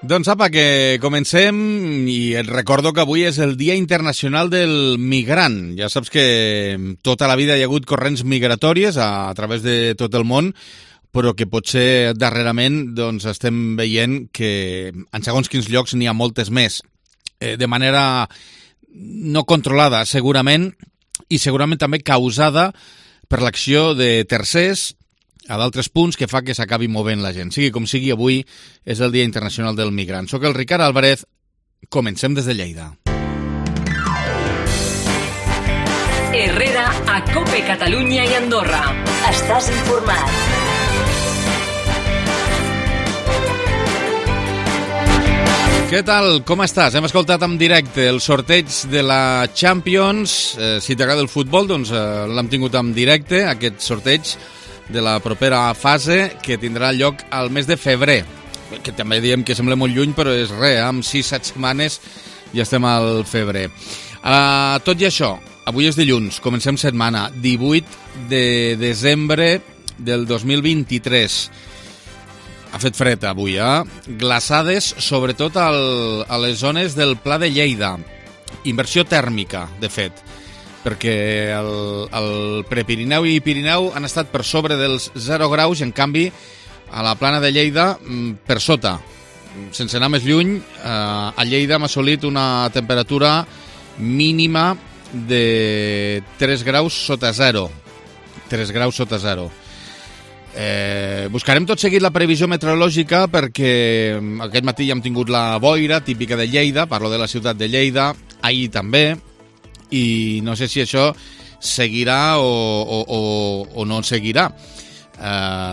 Doncs apa, que comencem i et recordo que avui és el Dia Internacional del Migrant. Ja saps que tota la vida hi ha hagut corrents migratòries a través de tot el món, però que potser darrerament doncs, estem veient que en segons quins llocs n'hi ha moltes més. De manera no controlada, segurament, i segurament també causada per l'acció de tercers a d'altres punts que fa que s'acabi movent la gent. Sigui com sigui, avui és el Dia Internacional del Migrant. Soc el Ricard Álvarez, comencem des de Lleida. Herrera a COPE Catalunya i Andorra. Estàs informat. Què tal? Com estàs? Hem escoltat en directe el sorteig de la Champions. Si t'agrada el futbol, doncs l'hem tingut en directe, aquest sorteig de la propera fase, que tindrà lloc al mes de febrer, que també diem que sembla molt lluny, però és res, amb 6-7 setmanes ja estem al febrer. Tot i això, avui és dilluns, comencem setmana, 18 de desembre del 2023. Ha fet fred avui, glaçades, sobretot a les zones del Pla de Lleida. Inversió tèrmica, de fet, perquè el Prepirineu i Pirineu han estat per sobre dels 0 graus i, en canvi, a la plana de Lleida, per sota. Sense anar més lluny, a Lleida hem assolit una temperatura mínima de 3 graus sota 0. 3 graus sota 0. Buscarem tot seguit la previsió meteorològica perquè aquest matí ja hem tingut la boira típica de Lleida, parlo de la ciutat de Lleida, ahir també, i no sé si això seguirà o no seguirà.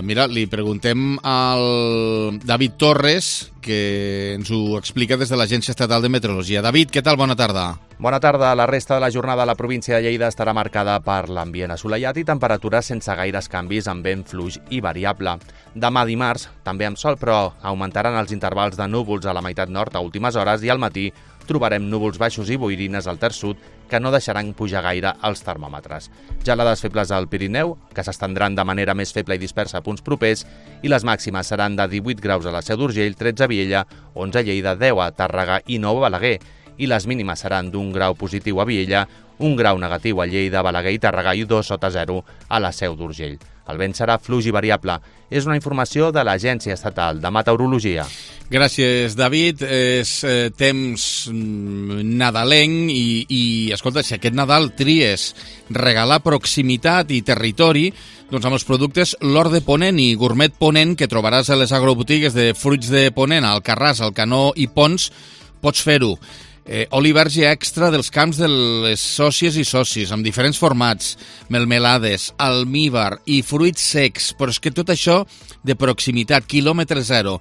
Mira, li preguntem al David Torres, que ens ho explica des de l'Agència Estatal de Meteorologia. David, què tal? Bona tarda. Bona tarda. La resta de la jornada a la província de Lleida estarà marcada per l'ambient assolellat i temperatures sense gaires canvis, amb vent fluix i variable. Demà dimarts, també amb sol, però augmentaran els intervals de núvols a la meitat nord a últimes hores i al matí trobarem núvols baixos i boirines al terç sud que no deixaran pujar gaire els termòmetres. Gelades febles al Pirineu, que s'estendran de manera més feble i dispersa a punts propers, i les màximes seran de 18 graus a la Seu d'Urgell, 13 a Viella, 11 a Lleida, 10 a Tàrrega i 9 a Balaguer, i les mínimes seran d'1 grau positiu a Viella, 1 grau negatiu a Lleida, Balaguer i Tàrrega i 2 sota 0 a la Seu d'Urgell. El vent serà fluix i variable. És una informació de l'Agència Estatal de Meteorologia. Gràcies, David. És temps nadalenc i escolta, si aquest Nadal tries regalar proximitat i territori, doncs amb els productes L'Hort de Ponent i Gourmet Ponent, que trobaràs a les agrobotigues de fruits de Ponent, a Alcarràs, Alcanó i Pons, pots fer-ho. Oli verge extra dels camps de les sòcies i socis, amb diferents formats, melmelades, almíbar i fruits secs, però és que tot això de proximitat, quilòmetre zero.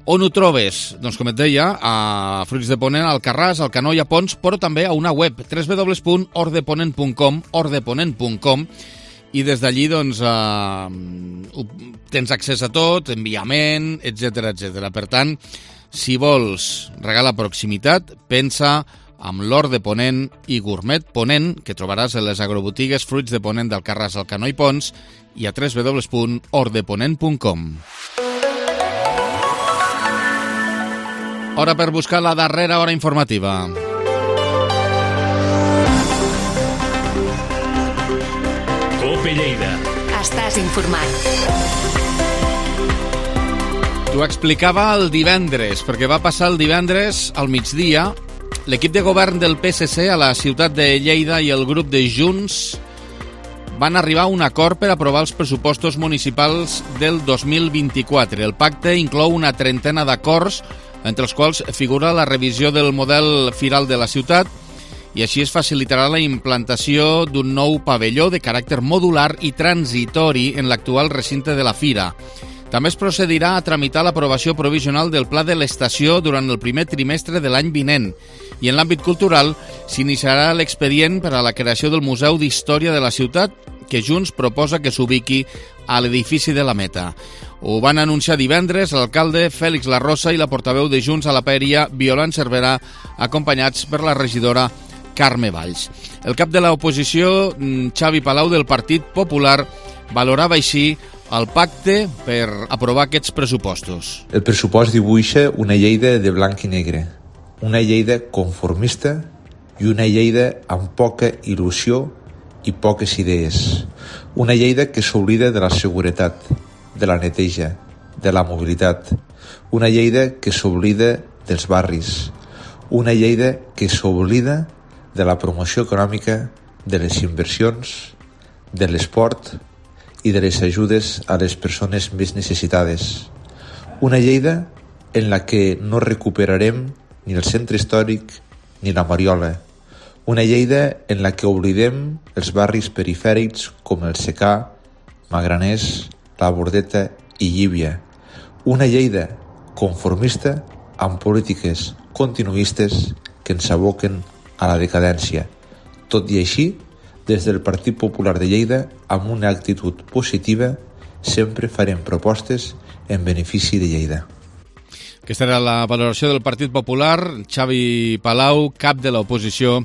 On ho trobes? Doncs com et deia, a Fruits de Ponent, al Alcarràs, al Canó i a Pons, però també a una web, www.hortdeponent.com, i des d'allí doncs, tens accés a tot, enviament, etc etc. Per tant, si vols regalar proximitat, pensa amb L'Hort de Ponent i Gourmet Ponent, que trobaràs a les agrobotigues Fruits de Ponent d'Alcarràs, Alcanó i Pons, i a www.hortdeponent.com. Hora per buscar la darrera hora informativa. COPE Lleida. Estàs informat. T'ho explicava el divendres, perquè va passar el divendres al migdia. L'equip de govern del PSC a la ciutat de Lleida i el grup de Junts van arribar a un acord per aprovar els pressupostos municipals del 2024. El pacte inclou una trentena d'acords, entre els quals figura la revisió del model firal de la ciutat, i així es facilitarà la implantació d'un nou pavelló de caràcter modular i transitori en l'actual recinte de la fira. També es procedirà a tramitar l'aprovació provisional del pla de l'estació durant el primer trimestre de l'any vinent, i en l'àmbit cultural s'iniciarà l'expedient per a la creació del Museu d'Història de la ciutat, que Junts proposa que s'ubiqui a l'edifici de la Meta. Ho van anunciar divendres l'alcalde Fèlix Larrosa i la portaveu de Junts a la Paeria, Violant Cerverà, acompanyats per la regidora Carme Valls. El cap de l'oposició, Xavi Palau, del Partit Popular, valorava així al pacte per aprovar aquests pressupostos. El pressupost dibuixa una Lleida de blanc i negre, una Lleida conformista i una Lleida amb poca il·lusió i poques idees. Una Lleida que s'oblida de la seguretat, de la neteja, de la mobilitat. Una Lleida que s'oblida dels barris. Una Lleida que s'oblida de la promoció econòmica, de les inversions, de l'esport i de les ajudes a les persones més necessitades. Una Lleida en la que no recuperarem ni el centre històric ni la Mariola. Una Lleida en la que oblidem els barris perifèrics com el Secà, Magraners, la Bordeta i Llívia. Una Lleida conformista amb polítiques continuistes que ens aboquen a la decadència. Tot i així, des del Partit Popular de Lleida, amb una actitud positiva, sempre farem propostes en benefici de Lleida. Aquesta era la valoració del Partit Popular. Xavi Palau, cap de l'oposició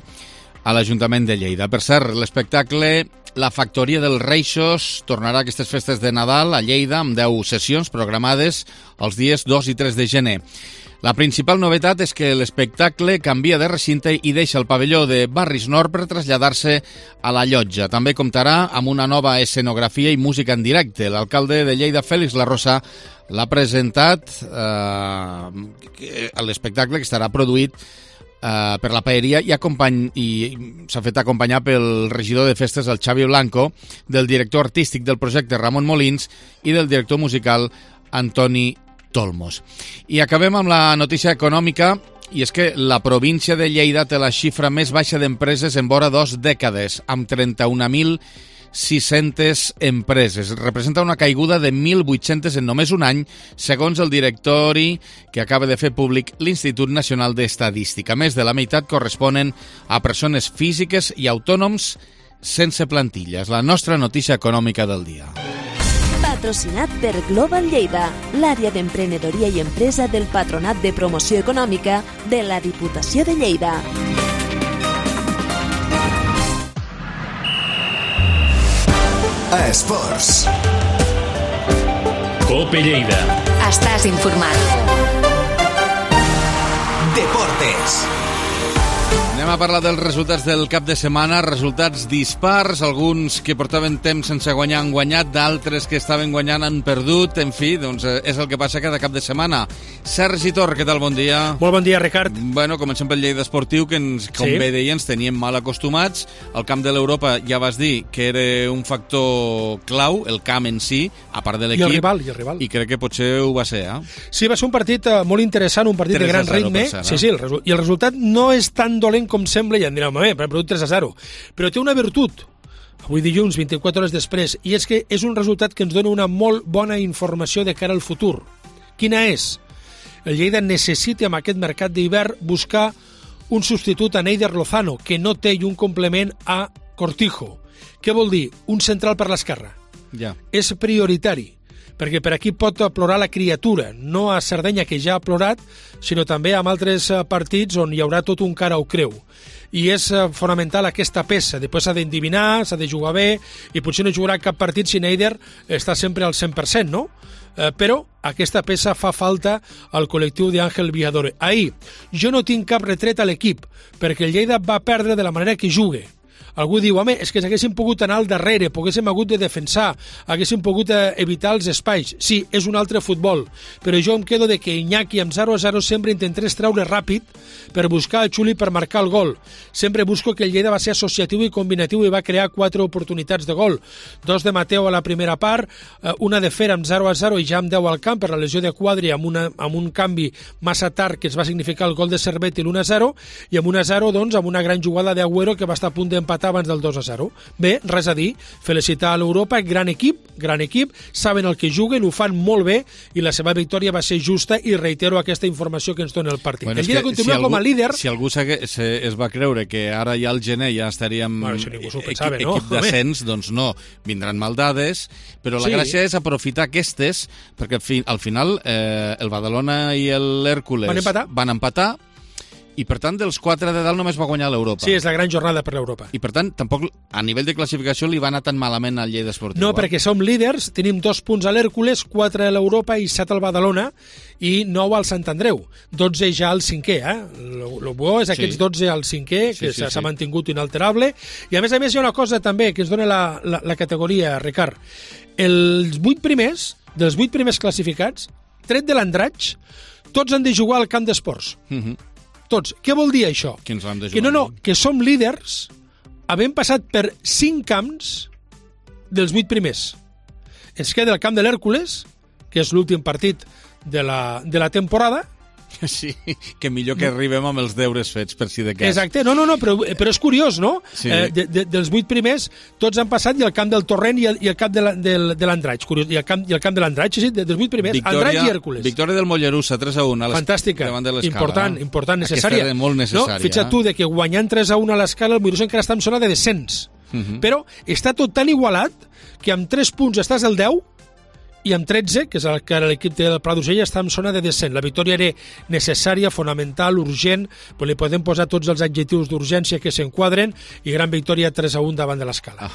a l'Ajuntament de Lleida. Per cert, l'espectacle La Factoria dels Reixos tornarà a aquestes festes de Nadal a Lleida amb 10 sessions programades els dies 2 i 3 de gener. La principal novetat és que l'espectacle canvia de recinte i deixa el pavelló de Barris Nord per traslladar-se a la Llotja. També comptarà amb una nova escenografia i música en directe. L'alcalde de Lleida, Félix Larrosa, l'ha presentat l'espectacle que estarà produït per la paeria i s'ha fet acompanyar pel regidor de festes, el Xavi Blanco, del director artístic del projecte, Ramon Molins, i del director musical, Antoni Tolmos. I acabem amb la notícia econòmica, i és que la província de Lleida té la xifra més baixa d'empreses en vora 2 dècades, amb 31.600 empreses. Representa una caiguda de 1.800 en només un any, segons el directori que acaba de fer públic l'Institut Nacional d'Estadística. Més de la meitat corresponen a persones físiques i autònoms sense plantilles. La nostra notícia econòmica del dia. Patrocinat per Global Lleida, l'àrea d'emprenedoria i empresa del Patronat de Promoció Econòmica de la Diputació de Lleida. Esports. Cope Lleida. Estàs informat. Deportes. Anem a parlar dels resultats del cap de setmana, resultats dispars, alguns que portaven temps sense guanyar han guanyat, d'altres que estaven guanyant han perdut, en fi, doncs és el que passa cada cap de setmana. Sergi Tor, què tal? Bon dia. Molt bon dia, Ricard. Bueno, comencem pel Lleida Esportiu, que com bé deia, ens teníem mal acostumats. El camp de l'Europa ja vas dir que era un factor clau, el camp en si, a part de l'equip. I el rival. I crec que potser ho va ser, Sí, va ser un partit molt interessant, un partit de gran ritme. Sí, i el resultat no és tan dolent com sembla, i em direu, però perdut 3-0. Però té una virtut, avui dilluns, 24 hores després, i és que és un resultat que ens dona una molt bona informació de cara al futur. Quina és? El Lleida necessita, amb aquest mercat d'hivern, buscar un substitut a Neider Lozano, que no té un complement a Cortijo. Què vol dir? Un central per l'esquerra. Ja. És prioritari, perquè per aquí pot plorar la criatura, no a Sardenya, que ja ha plorat, sinó també amb altres partits on hi haurà tot un cara o creu. I és fonamental aquesta peça. Després s'ha d'endivinar, s'ha de jugar bé, i potser no jugarà cap partit si Neider està sempre al 100%, no? Però aquesta peça fa falta al col·lectiu d'Àngel Viadore. Ahir, jo no tinc cap retret a l'equip, perquè el Lleida va perdre de la manera que juga. Algú diu, home, és que s'haguessin pogut anar al darrere, poguéssim hagut de defensar, haguéssim pogut evitar els espais. Sí, és un altre futbol, però jo em quedo de que Iñaki amb 0-0 sempre intentés treure ràpid per buscar el Xuli per marcar el gol. Sempre busco que el Lleida va ser associatiu i combinatiu i va crear 4 oportunitats de gol. 2 de Mateo a la primera part, una de Fer amb 0-0 i ja amb 10 al camp per la lesió de Quadri amb un canvi massa tard que es va significar el gol de Servet i l'1-0, i amb 1-0, doncs, amb una gran jugada d'Agüero que va estar a punt d'empatar abans del 2-0. Bé, res a dir, felicitar a l'Europa, gran equip, saben el que juguen, ho fan molt bé, i la seva victòria va ser justa, i reitero aquesta informació que ens dona el partit. Bueno, el Lleida continua com a líder. Si algú es va creure que ara ja al gener ja estaríem equip d'ascens, doncs no, vindran maldades, però la gràcia és aprofitar aquestes, perquè al final el Badalona i l'Hèrcules van empatar, I per tant, dels 4 de dalt només va guanyar l'Europa. Sí, és la gran jornada per l'Europa. I per tant, tampoc a nivell de classificació li va anar tan malament al Lleida Esportiu. No, perquè som líders, tenim 2 punts a l'Hèrcules, 4 a l'Europa i 7 al Badalona i 9 al Sant Andreu. 12 ja al 5è, El bo és aquests 12 al 5è, que s'ha mantingut inalterable. I a més hi ha una cosa també que ens dona la categoria, Ricard. Els 8 primers, dels 8 primers classificats, tret de l'Andratx, tots han de jugar al camp d'esports. Tots. Què vol dir això? Que ens l'han de jugar. Que som líders havent passat per 5 camps dels 8 primers. Ens queda el camp de l'Hèrcules, que és l'últim partit de la temporada. Sí, que millor que arribem amb els deures fets, per si de cas. Exacte, però és curiós, no? Sí. Dels 8 primers, tots han passat i el camp del Torrent i el camp de l'Andratx. I el camp de l'Andratx, sí, dels 8 primers, Andratx i Hèrcules. Victòria del Mollerussa, 3-1. Fantàstica, important, necessària. Aquesta era molt necessària. Fixa't tu, que guanyant 3-1 a l'escala, el Mollerussa encara està en zona de descens. Però està tot tan igualat que amb 3 punts estàs al 10 i amb 13, que és el que l'equip del Pla d'Urgell, està en zona de descens. La victòria era necessària, fonamental, urgent, però li podem posar tots els adjectius d'urgència que s'enquadren, i gran victòria 3-1 davant de l'escala.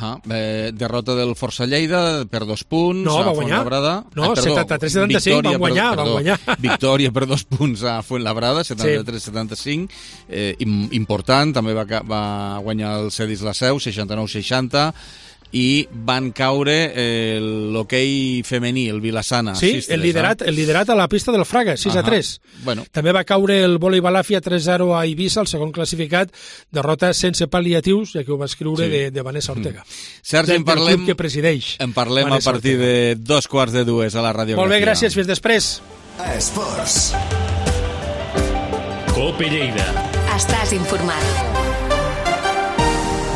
Derrota del Força Lleida per 2 punts. No, va guanyar. No, 73-75, van guanyar. Victòria per 2 punts a Fuenlabrada, 73-75. Important, també va guanyar el Cedis la Seu, 69-60. I van caure l'hoquei femení, el Vilassana. Sí, el liderat a la pista del Fraga, 6-3. Bueno. També va caure el vòlei Balàfia 3-0 a Eivissa, el segon classificat, derrota sense pal·liatius, ja que ho va escriure de Vanessa Ortega. Sergi, en parlem, que presideix en parlem Vanessa a partir Ortega. De 2:45 a la radiografia. Molt bé, gràcies, fins després. Esports. Cope Lleida. Estàs informat.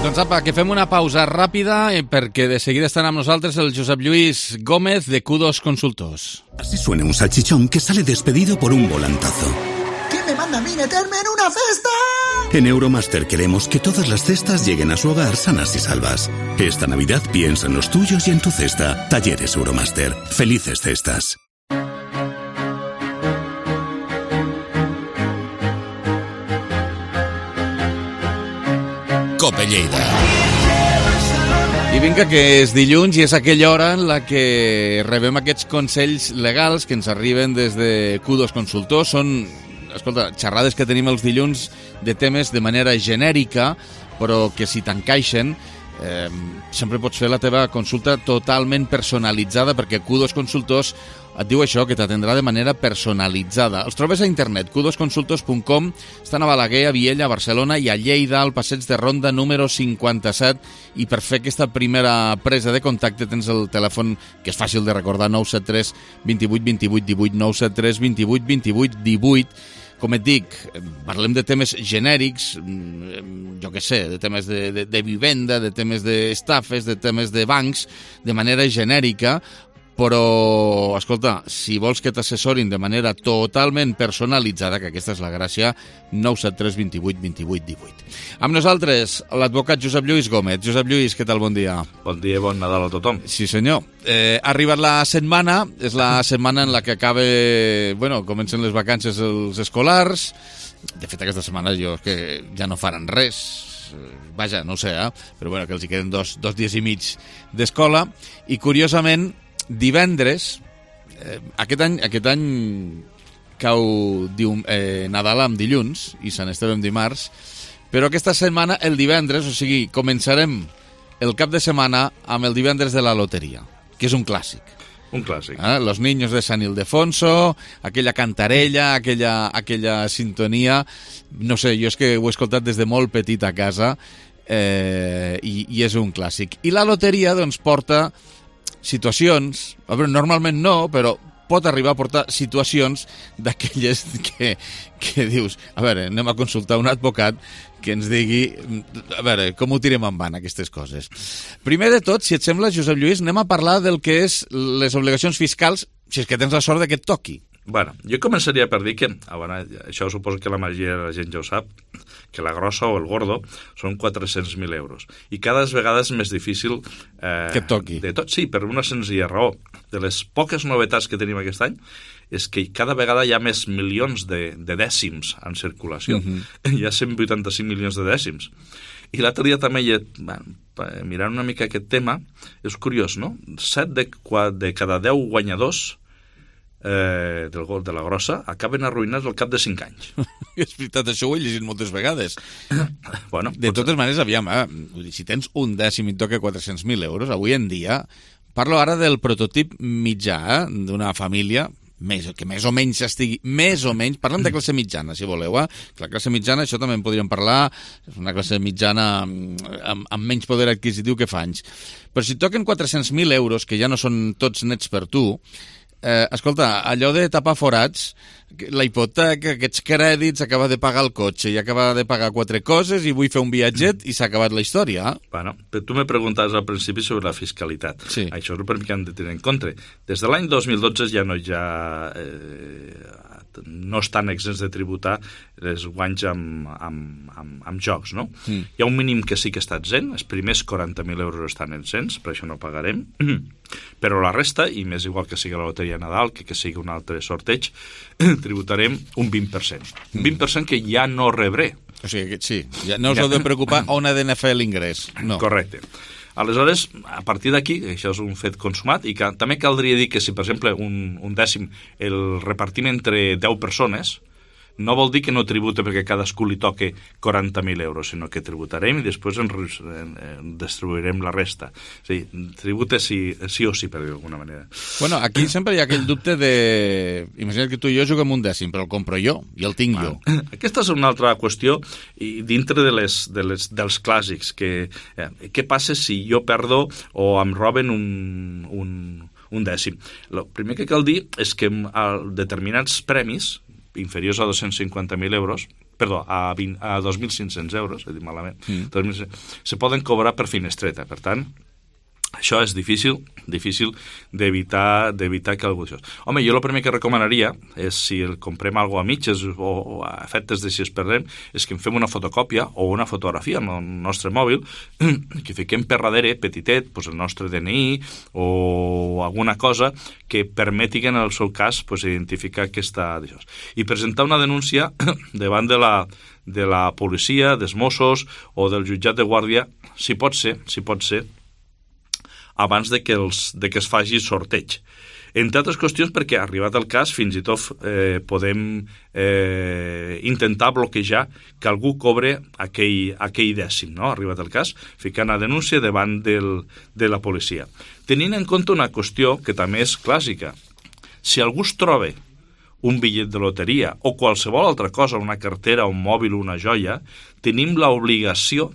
Doncs apa, que fem una pausa ràpida perquè de seguida estan amb nosaltres el Josep Lluís Gómez de Q2 Consultors. Así suena un salchichón que sale despedido por un volantazo. ¿Quién me manda a mí meterme en una cesta? En Euromaster queremos que todas las cestas lleguen a su hogar sanas y salvas. Esta Navidad piensa en los tuyos y en tu cesta. Talleres Euromaster. Felices cestas. Cope Lleida. I vinga, que és dilluns i és aquella hora en la que rebem aquests consells legals que ens arriben des de Q2 Consultors. Són, escolta, xerrades que tenim els dilluns de temes de manera genèrica, però que si t'encaixen sempre pots fer la teva consulta totalment personalitzada, perquè Q2 Consultors et diu això, que t'atendrà de manera personalitzada. Els trobes a internet, q2consultors.com, estan a Balaguer, a Viella, a Barcelona i a Lleida, al passeig de Ronda número 57, i per fer aquesta primera presa de contacte tens el telèfon, que és fàcil de recordar, 973 28 28 18, 973 28 28 18. Com et dic, parlem de temes genèrics, jo què sé, de temes de vivenda, de temes d'estafes, de temes de bancs, de manera genèrica, però, escolta, si vols que t'assessorin de manera totalment personalitzada, que aquesta és la gràcia, 973 28 28 18. Amb nosaltres, l'advocat Josep Lluís Gómez. Josep Lluís, què tal? Bon dia. Bon dia, bon Nadal a tothom. Sí, senyor. Ha arribat la setmana, és la setmana en la que comencen les vacances els escolars. De fet, aquesta setmana jo que ja no faran res, vaja, no ho sé, però bueno, que els hi queden dos dies i mig d'escola, i curiosament divendres, aquest any cau Nadal amb dilluns i Sant Esteve amb dimarts, però aquesta setmana el divendres, o sigui, començarem el cap de setmana amb el divendres de la loteria, que és un clàssic. Un clàssic. Los niños de San Ildefonso, aquella cantarella, aquella sintonia, no sé, jo és que ho he escoltat des de molt petit a casa, i és un clàssic. I la loteria, doncs, porta situacions, normalment no, però pot arribar a portar situacions d'aquelles que dius, a veure, anem a consultar un advocat que ens digui, a veure, com ho tirem en van, aquestes coses. Primer de tot, si et sembla, Josep Lluís, anem a parlar del que és les obligacions fiscals, si és que tens la sort de que et toqui. Bueno, jo començaria per dir que, això suposo que la majoria de la gent ja ho sap, que la grossa o el gordo són 400.000 euros. I cada vegada és més difícil... que et toqui. Sí, per una senzilla raó. De les poques novetats que tenim aquest any és que cada vegada hi ha més milions de dècims en circulació. Hi ha 185 milions de dècims. I l'altre dia també, mirant una mica aquest tema, és curiós, no? 7 de cada 10 guanyadors del gol de la grossa acaben arruïnats al cap de 5 anys. És veritat, això ho he llegit moltes vegades. Bueno, de totes maneres, aviam, si tens un dècim i et toca 400.000 euros, avui en dia, parlo ara del prototip mitjà d'una família, que més o menys estigui, parlem de classe mitjana, si voleu, La classe mitjana, això també en podríem parlar, és una classe mitjana amb menys poder adquisitiu que fa anys. Però si toquen 400.000 euros, que ja no són tots nets per tu, escolta, allò de tapar forats, la hipoteca, aquests crèdits, acaba de pagar el cotxe i acaba de pagar 4 coses i vull fer un viatget i s'ha acabat la història. Bueno, tu me preguntaves al principi sobre la fiscalitat. Sí. Això és el primer que hem de tenir en compte. Des de l'any 2012 ja no estan exempts de tributar els guanys amb jocs, no? Hi ha un mínim que sí que està exempt, els primers 40.000 euros estan exempts, per això no pagarem, però la resta, i més igual que sigui la loteria Nadal que sigui un altre sorteig, tributarem un 20%. Un 20% que ja no rebré. O sigui, sí, ja no us heu de preocupar on ha d'anar a fer l'ingrés. No. Correcte. Aleshores, a partir d'aquí, això és un fet consumat, i que també caldria dir que si, per exemple, un dècim el repartim entre 10 persones, no vol dir que no tribute perquè cadascú li toque 40.000 euros, sinó que tributarem i després distribuirem la resta. O sigui, tribute sí o sí, per dir d'alguna manera. Bueno, aquí sempre hi ha aquell dubte de... Imagina't que tu i jo juguem un dècim, però el compro jo i el tinc jo. Aquesta és una altra qüestió i dintre dels clàssics. Què passa si jo perdo o em roben un dècim? El primer que cal dir és que determinats premis inferiors a 250.000 euros, perdó, a 2.500 euros, he dit malament, se poden cobrar per finestreta. Per tant, això és difícil d'evitar que algú... Home, jo el primer que recomanaria és, si el comprem alguna a mitges o a efectes de si es perdem, és que en fem una fotocòpia o una fotografia amb el nostre mòbil, que fiquem per darrere, petitet, doncs el nostre DNI o alguna cosa que permeti en el seu cas identificar aquesta... I presentar una denúncia davant de la policia, dels Mossos o del jutjat de guàrdia, si pot ser, abans de que es faci sorteig. Entre altres qüestions perquè, arribat el cas, fins i tot podem intentar bloquejar que algú cobre aquell dècim, no? Arribat el cas, ficant una denúncia davant de la policia. Tenint en compte una qüestió que també és clàssica. Si algú es troba un bitllet de loteria o qualsevol altra cosa, una cartera, un mòbil, una joia, tenim l'obligació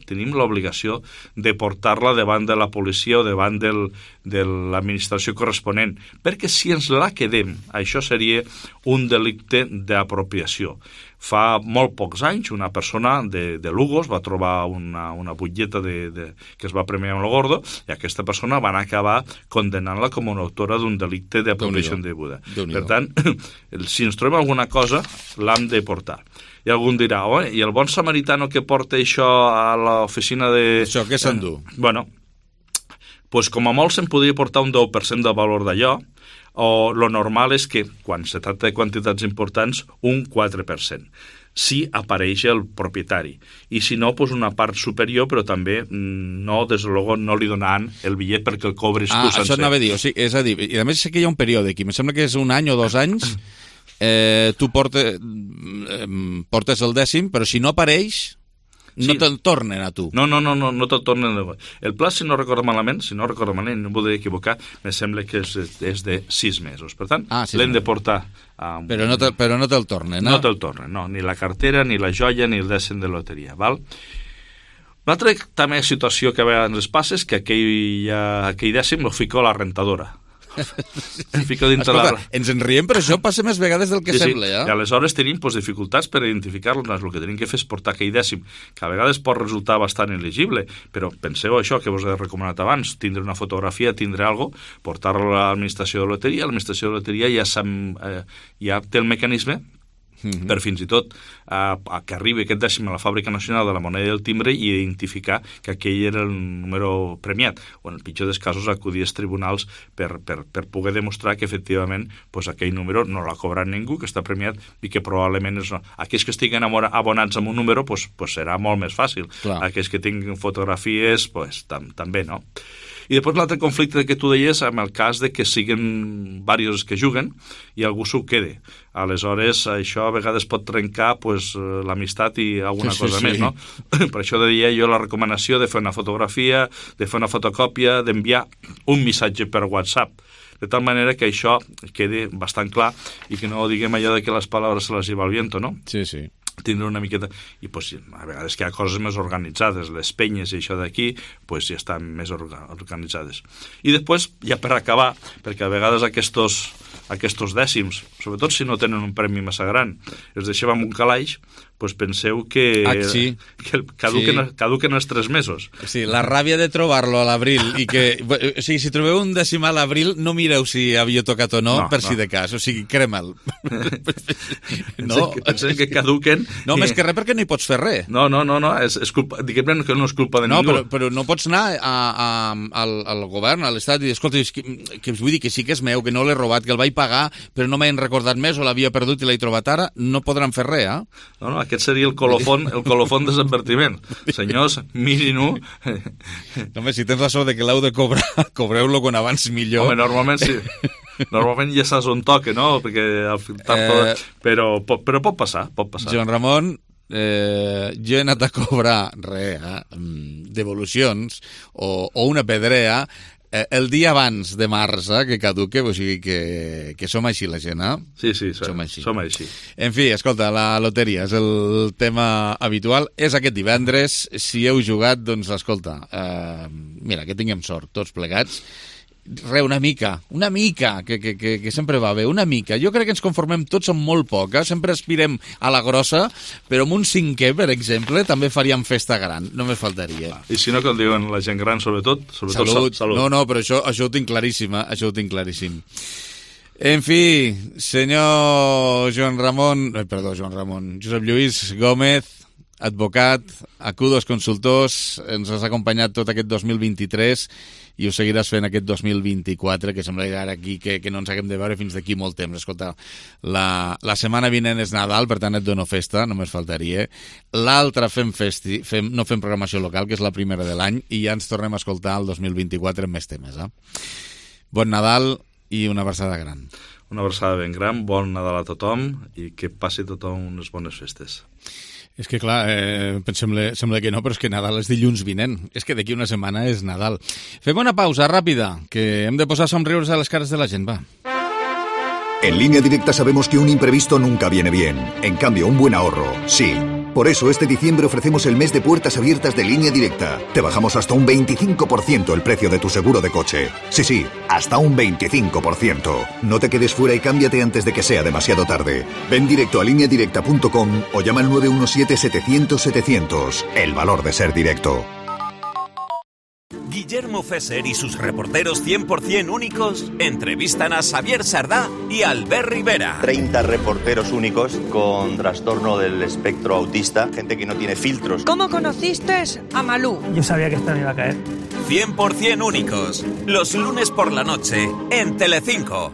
de portar-la davant de la policia o davant de l'administració corresponent, perquè si ens la quedem, això seria un delicte d'apropiació. Fa molt pocs anys, una persona de Lugo va trobar una butlleta que es va premiar amb el gordo, i aquesta persona van acabar condenant-la com una autora d'un delicte d'apropiació indeguda. Per tant, si ens trobem alguna cosa, l'hem de portar. I algú dirà, i el bon samaritano que porta això a l'oficina de... Això, què s'endú? Bueno, doncs com a molt se'n podria portar un 10% del valor d'allò, o lo normal és que, quan se tracta de quantitats importants, un 4%, si apareix el propietari. I si no, doncs una part superior, però també des de luego no li donaran el bitllet perquè el cobres tu sencer. Això anava a dir, és a dir, i a més sé que hi ha un període aquí, em sembla que és un any o 2 anys, tu portes el dècim, però si no apareix... No te'l tornen a tu. No te'l tornen. El pla, si no recordo malament, no em voldria equivocar, me sembla que és de 6 mesos. Per tant, l'hem de portar... Però no te'l tornen, no? No te'l tornen, no. Ni la cartera, ni la joia, ni el dècim de loteria, val? L'altra també situació que a vegades ens passa és que aquell dècim el fico a la rentadora. Escolta, ens en riem, però això passa més vegades del que sembla, ja? I aleshores tenim dificultats per identificar-los. El que tenim que fer és portar aquell dècim, que a vegades pot resultar bastant elegible, però penseu això que us he recomanat abans, tindre una fotografia, tindre alguna cosa, portar-lo a l'administració de loteria. L'administració de loteria ja té el mecanisme per fins i tot que arribi aquest dècim a la Fàbrica Nacional de la Moneda i el Timbre i identificar que aquell era el número premiat, o en el pitjor dels casos acudir als tribunals per poder demostrar que efectivament aquell número no l'ha cobrat ningú, que està premiat i que probablement aquells que estiguen abonats amb un número serà molt més fàcil. Clar. Aquells que tinguin fotografies també, no? I després l'altre conflicte que tu deies amb el cas de que siguin diversos que juguen i algú s'ho quede. Aleshores, això a vegades pot trencar l'amistat i alguna cosa més, no? Per això deia jo la recomanació de fer una fotografia, de fer una fotocòpia, d'enviar un missatge per WhatsApp, de tal manera que això quede bastant clar i que no diguem allò de que les paraules se les lleva el viento, no? Sí, sí. Tindre una miqueta... I a vegades que hi ha coses més organitzades, les penyes i això d'aquí, ja estan més organitzades. I després, ja per acabar, perquè a vegades aquests dècims, sobretot si no tenen un premi massa gran, els deixem en un calaix, penseu que caduquen els 3 mesos. Sí, la ràbia de trobar-lo a l'abril i que... O sigui, si trobeu un decimal a l'abril, no mireu si havia tocat o no, per si de cas. O sigui, crema'l. No. Pensem que caduquen... No, més que res perquè no hi pots fer res. No, és culpa... Diguem que no és culpa de ningú. No, però no pots anar al govern, a l'Estat, i dir, escolta, que vull dir que sí que és meu, que no l'he robat, que el vaig pagar, però no m'he recordat més o l'havia perdut i l'he trobat ara, no podran fer res, eh? No, aquest seria el colofon desadvertiment. Senyors, mirin-ho. Home, si tens la sort de que l'heu de cobrar, cobreu-lo quan abans millor. Home, normalment sí. Normalment ja saps on toca, no? Perquè, però pot passar. Joan Ramon, jo he anat a cobrar devolucions o una pedrea el dia abans de març, que caduque, o sigui que som així la gent, eh? Sí, som així. En fi, escolta, la loteria és el tema habitual, és aquest divendres, si heu jugat, doncs escolta, mira, que tinguem sort, tots plegats, una mica, que sempre va bé, una mica. Jo crec que ens conformem tots amb molt poca, sempre aspirem a la grossa, però amb un 5è, per exemple, també faríem festa gran, només faltaria. I si no, que el diuen la gent gran, sobretot salut. No, però això ho tinc claríssim, En fi, senyor Josep Lluís Gómez, advocat, Acudos Consultors, ens has acompanyat tot aquest 2023 i ho seguiràs fent aquest 2024, que sembla ara aquí que no ens haguem de veure fins d'aquí molt temps. Escolta, la setmana vinent és Nadal, per tant et dono festa, només faltaria. L'altra no fem programació local, que és la primera de l'any, i ja ens tornem a escoltar el 2024 amb més temes. Bon Nadal i una abraçada gran. Una abraçada ben gran, bon Nadal a tothom i que passi tothom unes bones festes. És que, clar, sembla que no, però és que Nadal és dilluns vinent. És que d'aquí una setmana és Nadal. Fem una pausa ràpida, que hem de posar somriures a les cares de la gent, va. En Línea Directa sabemos que un imprevisto nunca viene bien. En cambio, un buen ahorro, sí. Por eso, este diciembre ofrecemos el mes de puertas abiertas de Línea Directa. Te bajamos hasta un 25% el precio de tu seguro de coche. Sí, hasta un 25%. No te quedes fuera y cámbiate antes de que sea demasiado tarde. Ven directo a lineadirecta.com o llama al 917-700-700. El valor de ser directo. Guillermo Fesser y sus reporteros 100% únicos entrevistan a Xavier Sardá y Albert Rivera. 30 reporteros únicos con trastorno del espectro autista, gente que no tiene filtros. ¿Cómo conociste a Malú? Yo sabía que esto me iba a caer. 100% únicos, los lunes por la noche, en Telecinco.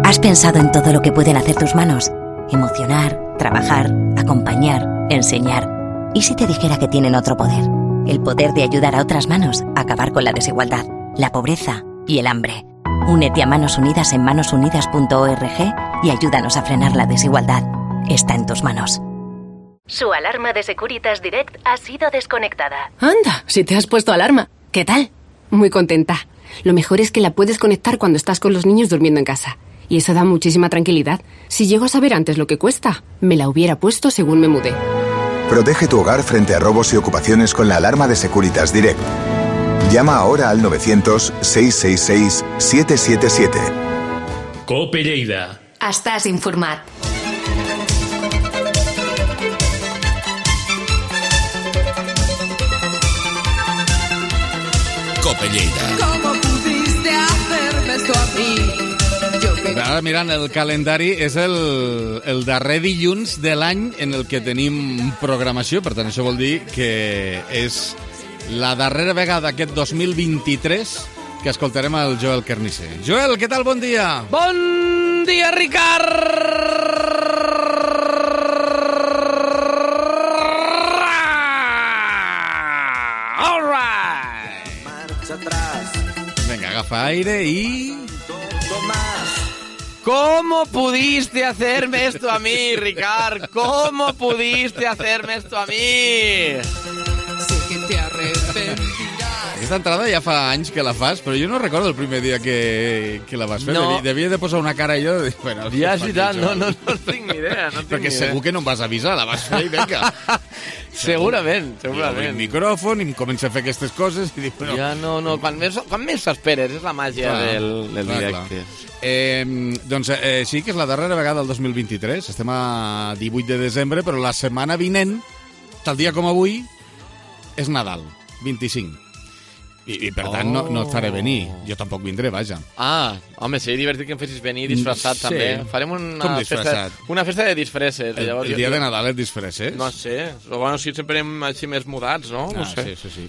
¿Has pensado en todo lo que pueden hacer tus manos? Emocionar, trabajar, acompañar, enseñar. ¿Y si te dijera que tienen otro poder? El poder de ayudar a otras manos a acabar con la desigualdad, la pobreza y el hambre. Únete a Manos Unidas en manosunidas.org y ayúdanos a frenar la desigualdad. Está en tus manos. Su alarma de Securitas Direct ha sido desconectada. Anda, si te has puesto alarma. ¿Qué tal? Muy contenta. Lo mejor es que la puedes conectar cuando estás con los niños durmiendo en casa. Y eso da muchísima tranquilidad. Si llego a saber antes lo que cuesta, me la hubiera puesto según me mudé. Protege tu hogar frente a robos y ocupaciones con la alarma de Securitas Direct. Llama ahora al 900-666-777. COPE Lleida. Estàs informat. COPE Lleida. ¿Cómo pudiste hacerme esto a mí? Ara mirant el calendari, és el darrer dilluns de l'any en el que tenim programació, per tant això vol dir que és la darrera vegada aquest 2023 que escoltarem el Joel Carnisser. Joel, què tal? Bon dia! Bon dia, Ricard! All right! Venga, agafa aire y... ¿Cómo pudiste hacerme esto a mí, Ricard? ¿Cómo pudiste hacerme esto a mí? Sé que te arrepentirás. Aquesta entrada ja fa anys que la fas, però jo no recordo el primer dia que la vas fer. No. Devia de posar una cara jo... Bueno, Ja, sí, tant, no tinc ni idea. Perquè segur que no em vas avisar, la vas fer i vinga. Segurament. I obri el micròfon i em comença a fer aquestes coses i dic... Bueno, Ja, no, quan més t'esperes, és la màgia del directe. Doncs sí que és la darrera vegada del 2023, estem a 18 de desembre, però la setmana vinent, tal dia com avui, és Nadal, 25. I per tant no et faré venir. Jo tampoc vindré, vaja. Ah, home, seria divertit que em fessis venir disfressat, Sí. també. Farem Com disfressat? Una festa de disfresses. El dia de Nadal et disfresses? No sé. Bueno, sí, sempre anem així més mudats, no? No sé. Sí.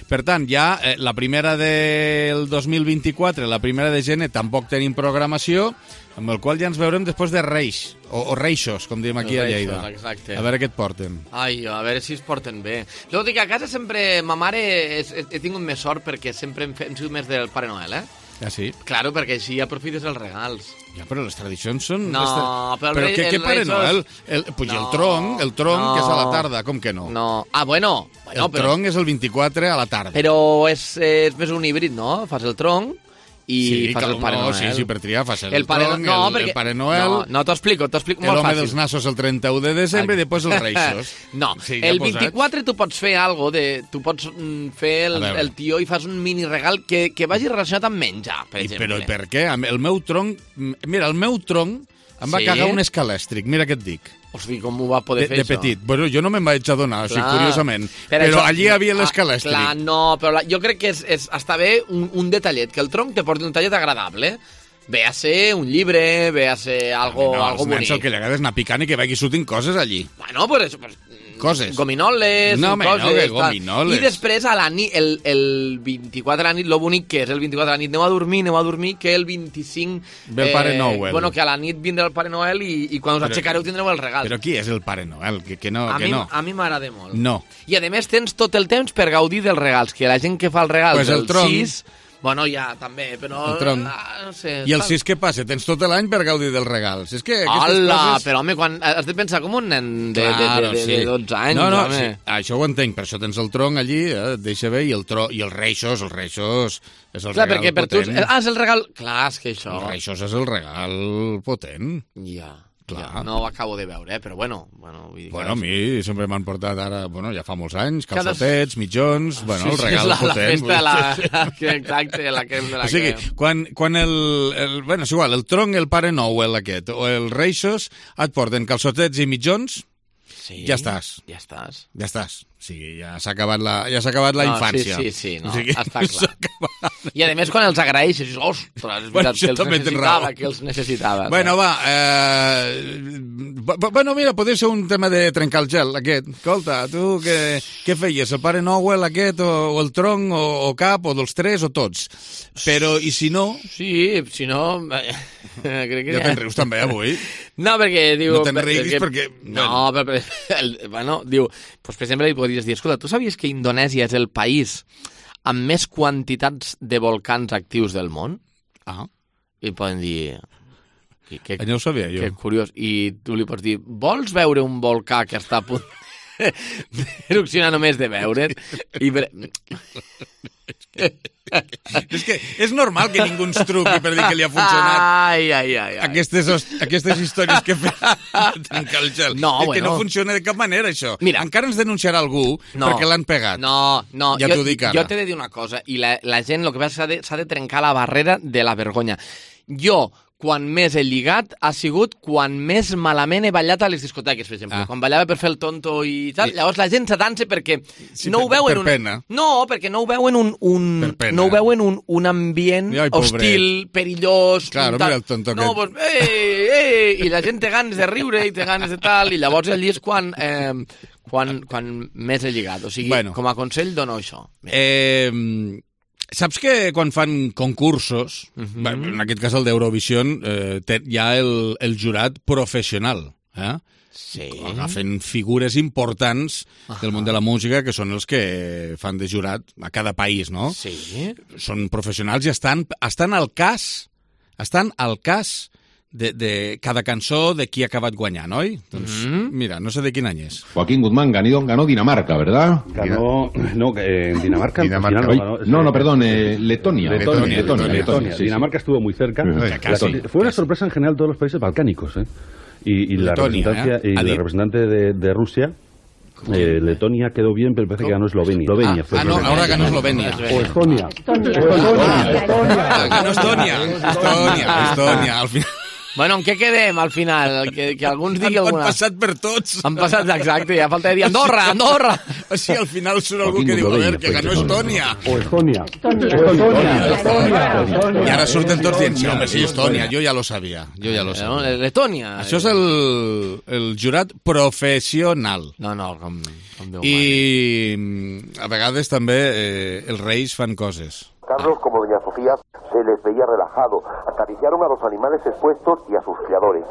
Per tant, ja la primera del 2024, la primera de gener, tampoc tenim programació, amb el qual ja ens veurem després de Reis, o Reixos, com diem aquí a Lleida. Exacte. A veure què et porten. Ai, a veure si es porten bé. Jo dic que a casa sempre... Ma mare he tingut més sort perquè sempre hem sigut més del Pare Noel, eh? Ah, sí? Claro, perquè així aprofites els regals. Ja, però les tradicions són... No, però el què Pare Noel? Pues el tronc, que és a la tarda, com que no? No. Ah, bueno el tronc és el 24 a la tarda. Però és més un híbrid, no? Fas el tronc i fas el Pare Noel. Sí, per triar fas el Pare tronc, Noel. el Pare Noel... No, t'ho explico molt fàcil. L'home dels nassos el 31 de desembre i després els Reixos. No, sí, el 24 tu pots fer algo tu pots fer el tió i fas un mini regal que vagi relacionat amb menjar, per exemple. Però per què? El meu tronc... Mira, el meu tronc em va cagar un escalèstric, mira què et dic. Hosti, com ho va poder fer, de petit. Bueno, jo no me'n vaig adonar, o sigui, curiosament. Però això, allí hi havia l'escalèstric. Clar, no, però jo crec que està bé un detallet, que el tronc te porti un detallet agradable. Ve a ser un llibre, ve a ser algo bonic. Els nens el que li agrada és anar picant i que vagi sortint coses allí. Bueno, pues eso... Coses. Gominoles, que gominoles. I després a la nit, el 24 de la nit, lo bonic que és el 24 de la nit, aneu a dormir, que el 25... Ve el Pare Noel. Bueno, que a la nit vindrà el Pare Noel i quan us aixecareu tindreu el regal. Però qui és el Pare Noel? Que no. A mi m'agrada molt. No. I a més tens tot el temps per gaudir dels regals, que la gent que fa el regal pues del el tronc, 6... Bueno, ja, també, però... El tronc. No sé, I el 6 què passa? Tens tot l'any per gaudir dels regals. És que Hola, coses... però home, quan has de pensar com un nen de 12 anys, no, home. Sí, això ho entenc, per això tens el tronc allí, et deixa bé, i els Reixos és el regal perquè per potent. és el regal... Clar, és que això... Els Reixos és el regal potent. Ja. Clar. Ja, no ho acabo de veure, però bueno... Vull dir a mi sempre m'han portat ara, ja fa molts anys, calçotets, mitjons, el regal potent. La festa, exacte, la crem de la crem. O sigui, quan és igual, el tronc, el Pare Noel aquest, o els Reixos, et porten calçotets i mitjons, ja estàs. Ja estàs. O sigui, ja s'ha acabat la infància. Sí, no, està clar. I a més, quan els agraeixes, dius, ostres, és veritat que els necessitava. Bueno, mira, podria ser un tema de trencar el gel, aquest. Escolta, tu què feies? El Pare Noel aquest, o el tronc, o cap, o dels tres, o tots? Però, i si no... Sí, si no... Crec que ja te'n rius també, avui? No, perquè diu... No te'n riguis perquè... No, però... Bueno, diu... Pues, per exemple, li podries dir, escolta, tu sabies que Indonèsia és el país amb més quantitats de volcans actius del món? Ah. I poden dir... No ho sabia, jo. Que curiós. I tu li pots dir, vols veure un volcà que està a punt d'erupcionar només de veure't? És que és normal que ningú ens truqui per dir que li ha funcionat. Ai. Aquestes històries que fem de trencar el gel. Que no funciona de cap manera, això. Mira, encara ens denunciarà algú perquè l'han pegat. No. Ja t'ho dic ara. Jo t'he de dir una cosa, i la gent, el que passa, s'ha de trencar la barrera de la vergonya. Jo, quan més he lligat ha sigut quan més malament he ballat a les discoteques, per exemple. Quan ballava per fer el tonto i tal. Llavors la gent s'atansa perquè no ho veuen... Per pena. No, perquè no ho veuen no ho veuen un ambient hostil, perillós... Claro, mira el tonto no, pues, i la gent té ganes de riure i té ganes de tal, i llavors allí és quan més he lligat. O sigui, com a consell dono això. Saps que quan fan concursos, en aquest cas el d'Eurovision, hi ha el jurat professional, Sí. Agafen figures importants del món de la música, que són els que fan de jurat a cada país, no? Sí. Són professionals i estan al cas de cada cançó de qui ha acabat guanyant, oi? Doncs, mira, no sé de quin any és. Joaquín Guzmán ganó Dinamarca, ¿verdad? Dinamarca. No, perdón, Letonia. Letonia. Sí. Dinamarca estuvo muy cerca. Fue una sorpresa en general todos los países balcánicos, ¿eh? Y la representante de Rusia, Letonia quedó bien, pero parece que ganó Eslovenia. Ahora ganó Eslovenia. O Estonia. Ganó Estonia, al final. Bueno, en què quedem al final? Que alguns digui alguna... Han passat per tots. Han passat, exacte, ja falta dir Andorra! O sigui, al final surt algú que diu, a veure, que ganó Estònia. O Estonia. I ara surten tots dient, sí, home, sí, Estònia, jo ja lo sabia. Letònia. Això és el jurat professional. No, com Déu mare. I a vegades també els reis fan coses. Carlos, como doña Sofía, se les veía relajado. Acariciaron a los animales expuestos y a sus criadores.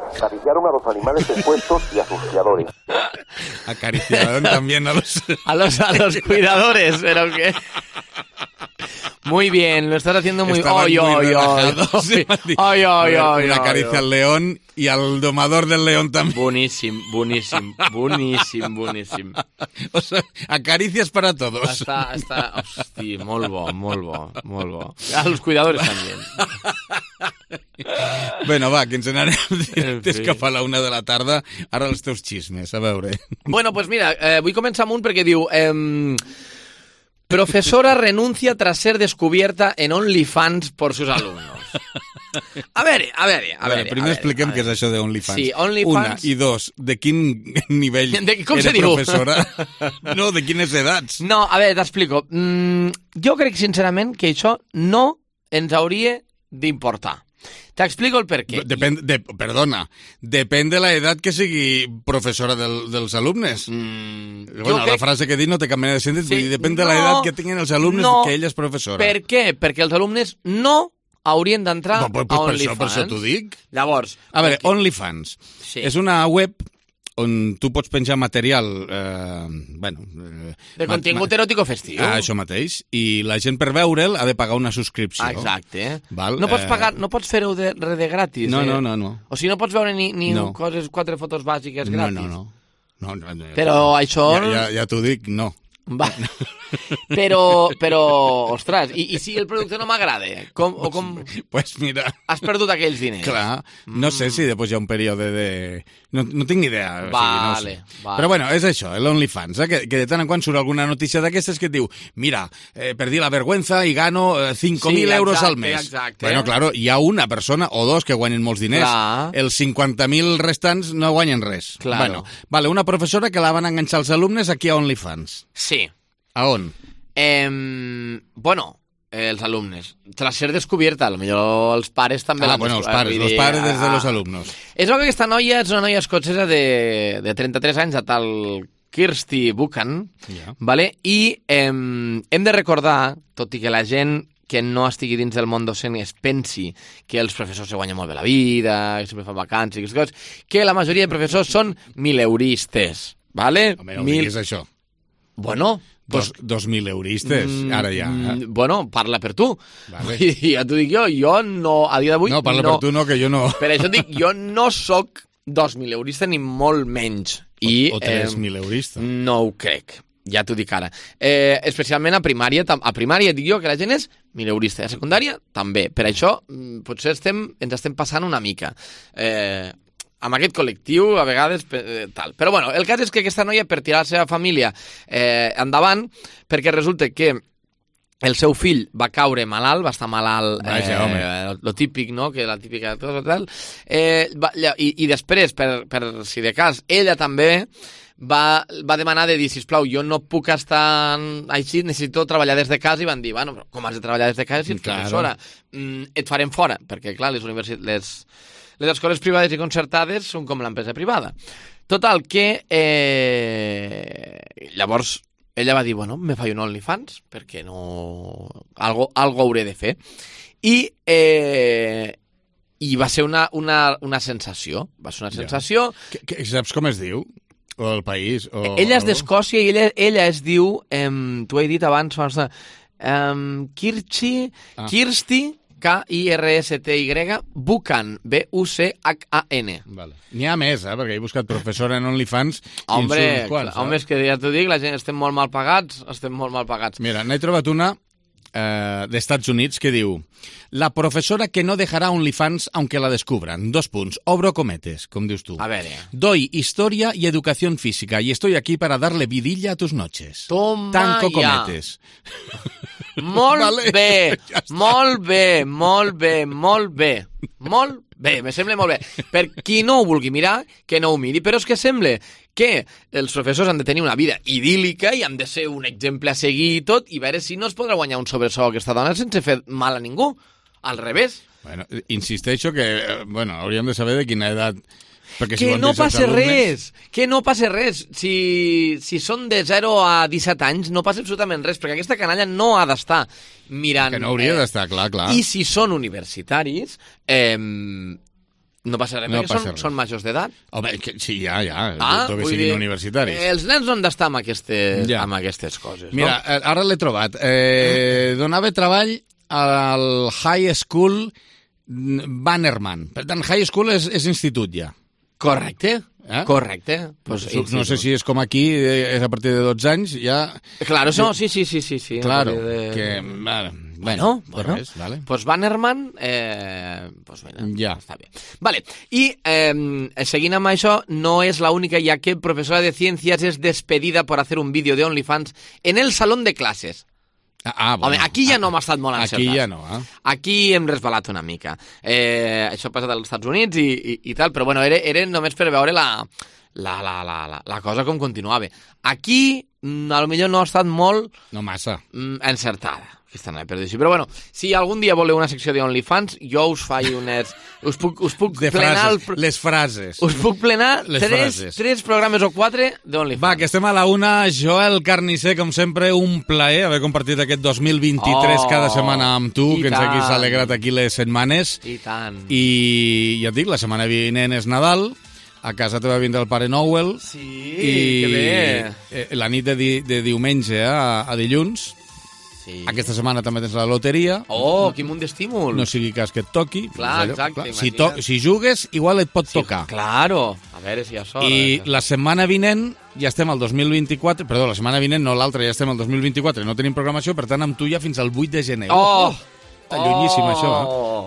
Acariciaron también a los... a los cuidadores, pero que... Muy bien, lo estás haciendo muy... ¡Ay! Una caricia al león y al domador del león también. Boníssim. O sea, acaricias para todos. Està... Hosti, molt bo. A los cuidadores también. Bueno, va, que ens anarem directes cap a la 1 de la tarda. Ara els teus xismes, a veure. Bueno, pues mira, vull començar amb un perquè diu... Profesora renuncia tras ser descubierta en OnlyFans por sus alumnos. A veure. Primer expliquem què és això de OnlyFans. Sí, OnlyFans... 1, i 2, de quin nivell com era se diu? Professora? No, de quines edats? No, a veure, t'explico. Jo crec sincerament que això no ens hauria d'importar. T'explico el per què. Depèn de la edat que sigui professora dels alumnes. La frase que he dit no té cap mena de sentit. Sí, depèn de l'edat que tinguin els alumnes que ella és professora. Per què? Perquè els alumnes no haurien d'entrar a OnlyFans. Per això t'ho dic. Llavors... A veure, OnlyFans és una web on tu pots penjar material de contingut eròtico festiu. Això mateix. I la gent per veure'l ha de pagar una subscripció. Exacte. Val? No pots pagar, no pots fer-ho de gratis. No. O sigui, no pots veure ni coses, 4 fotos bàsiques gratis. No. Però això... Ja t'ho dic, no. Va. Però, ostres, i si el producte no m'agrada? Com... Pues mira... Has perdut aquells diners. Clar, no sé si després hi ha un període de... No tinc ni idea. Vale. Però bueno, és això, l'OnlyFans, que de tant en quant surt alguna notícia d'aquestes que et diu, mira, perdí la vergüenza i gano 5.000 euros al mes. Exacte. Bueno, claro, hi ha una persona o dos que guanyen molts diners. Clar. Els 50.000 restants no guanyen res. Claro. Bueno, vale, una professora que la van enganxar els alumnes aquí a OnlyFans. Sí. A on? Els alumnes. Tras ser descubierta, potser els pares també l'han descobert. Els pares des dels alumnos. És que aquesta noia és una noia escocesa de 33 anys, a tal Kirsty Buchan, vale? I hem de recordar, tot i que la gent que no estigui dins del món docent es pensi que els professors se guanyen molt bé la vida, que sempre fan vacances i aquestes coses, que la majoria de professors són mileuristes, vale? Home, no diguis això. Bueno... 2.000 euristes, ara ja. Bueno, parla per tu. Vale. I ja t'ho dic jo no, a dia d'avui... No, parla per tu, no, que jo no. Per això dic, jo no soc 2.000 eurista ni molt menys. O 3.000 eurista. No ho crec, ja t'ho dic ara. Especialment a primària dic jo que la gent és 1.000 eurista. A secundària també. Per això potser ens estem passant una mica. Amb aquest col·lectiu, a vegades, tal. Però bueno, el cas és que aquesta noia, per tirar la seva família endavant, perquè resulta que el seu fill va caure malalt, va estar malalt, Vaja, típic, no?, que la típica... I després, per si de cas, ella també va demanar de dir, sisplau, jo no puc estar així, necessito treballar des de casa, i van dir, bueno, però com has de treballar des de casa si ets professora? Et farem fora, perquè, clar, les escoles privades i concertades són com l'empresa privada. Total, que llavors ella va dir, bueno, me faig un OnlyFans, perquè no... Algo hauré de fer. I va ser una sensació. Va ser una sensació... Saps com es diu? O el país? Ella és d'Escòcia i ella es diu, t'ho he dit abans, Kirsty, K-I-R-S-T-Y, Buchan, B-U-C-H-A-N. N'hi ha més, perquè he buscat professora en OnlyFans. Home, és que ja t'ho dic, la gent estem molt mal pagats. Mira, n'he trobat una d'Estats Units que diu: la profesora que no dejará OnlyFans aunque la descubran. 2 punts. Obro cometes, com dius tu. A veure. Doy historia y educación física y estoy aquí para darle vidilla a tus noches. Toma Tanco ja. cometes. Molt bé, me sembla molt bé. Per qui no ho vulgui mirar, que no ho miri, però és que sembla que els professors han de tenir una vida idíl·lica i han de ser un exemple a seguir i tot, i veure si no es podrà guanyar un sobresou aquesta dona sense fer mal a ningú. Al revés. Bueno, insisteixo que, hauríem de saber de quina edat... Que no passa res, Si són de 0 a 17 anys, no passa absolutament res, perquè aquesta canalla no ha d'estar mirant... Que no hauria d'estar, clar. I si són universitaris, no passa res, perquè són majors d'edat. Home, sí, ja, tot que siguin universitaris. Els nens no han d'estar amb aquestes coses. Mira, ara l'he trobat. Donava treball al High School Bannerman. Per tant, High School és institut ja. Correcte. Pues no sé si és com aquí, és a partir de 12 anys, ja... Claro, sí. Claro, que... Bueno, res, vale. Pues Bannerman, ja. Està bé. Vale, i seguint amb això, no és la única, ya que profesora de ciencias es despedida por hacer un vídeo de OnlyFans en el salón de clases. Home, aquí ja no m'ha estat molt encertat. Aquí ja no, Aquí hem resbalat una mica. Això ha passat als Estats Units i tal, però bueno, era només per veure la cosa com continuava. Aquí, potser no ha estat molt... No massa. Encertada. Però bueno, si algun dia voleu una secció de OnlyFans, jo us faig unes... Us puc plenar... Les frases. Us puc plenar 3 programes o 4 d'OnlyFans. Va, que estem a la una. Joel Carnicer, com sempre, un plaer haver compartit aquest 2023 cada setmana amb tu, que ens haguis alegrat aquí les setmanes. I tant. I ja et dic, la setmana vinent és Nadal. A casa te va vindre el Pare Noel. Sí, que bé. La nit de diumenge a dilluns. Sí. Aquesta setmana també tens la loteria. Oh, quin munt d'estímul. No sigui cas que et toqui. Clar, exacte. Si jugues, igual et pot tocar. Claro. A veure si hi ha sort. I la setmana vinent ja estem al 2024. Perdó, la setmana vinent, no l'altra, ja estem al 2024. No tenim programació, per tant, amb tu ja fins al 8 de gener. Està llunyíssim, això.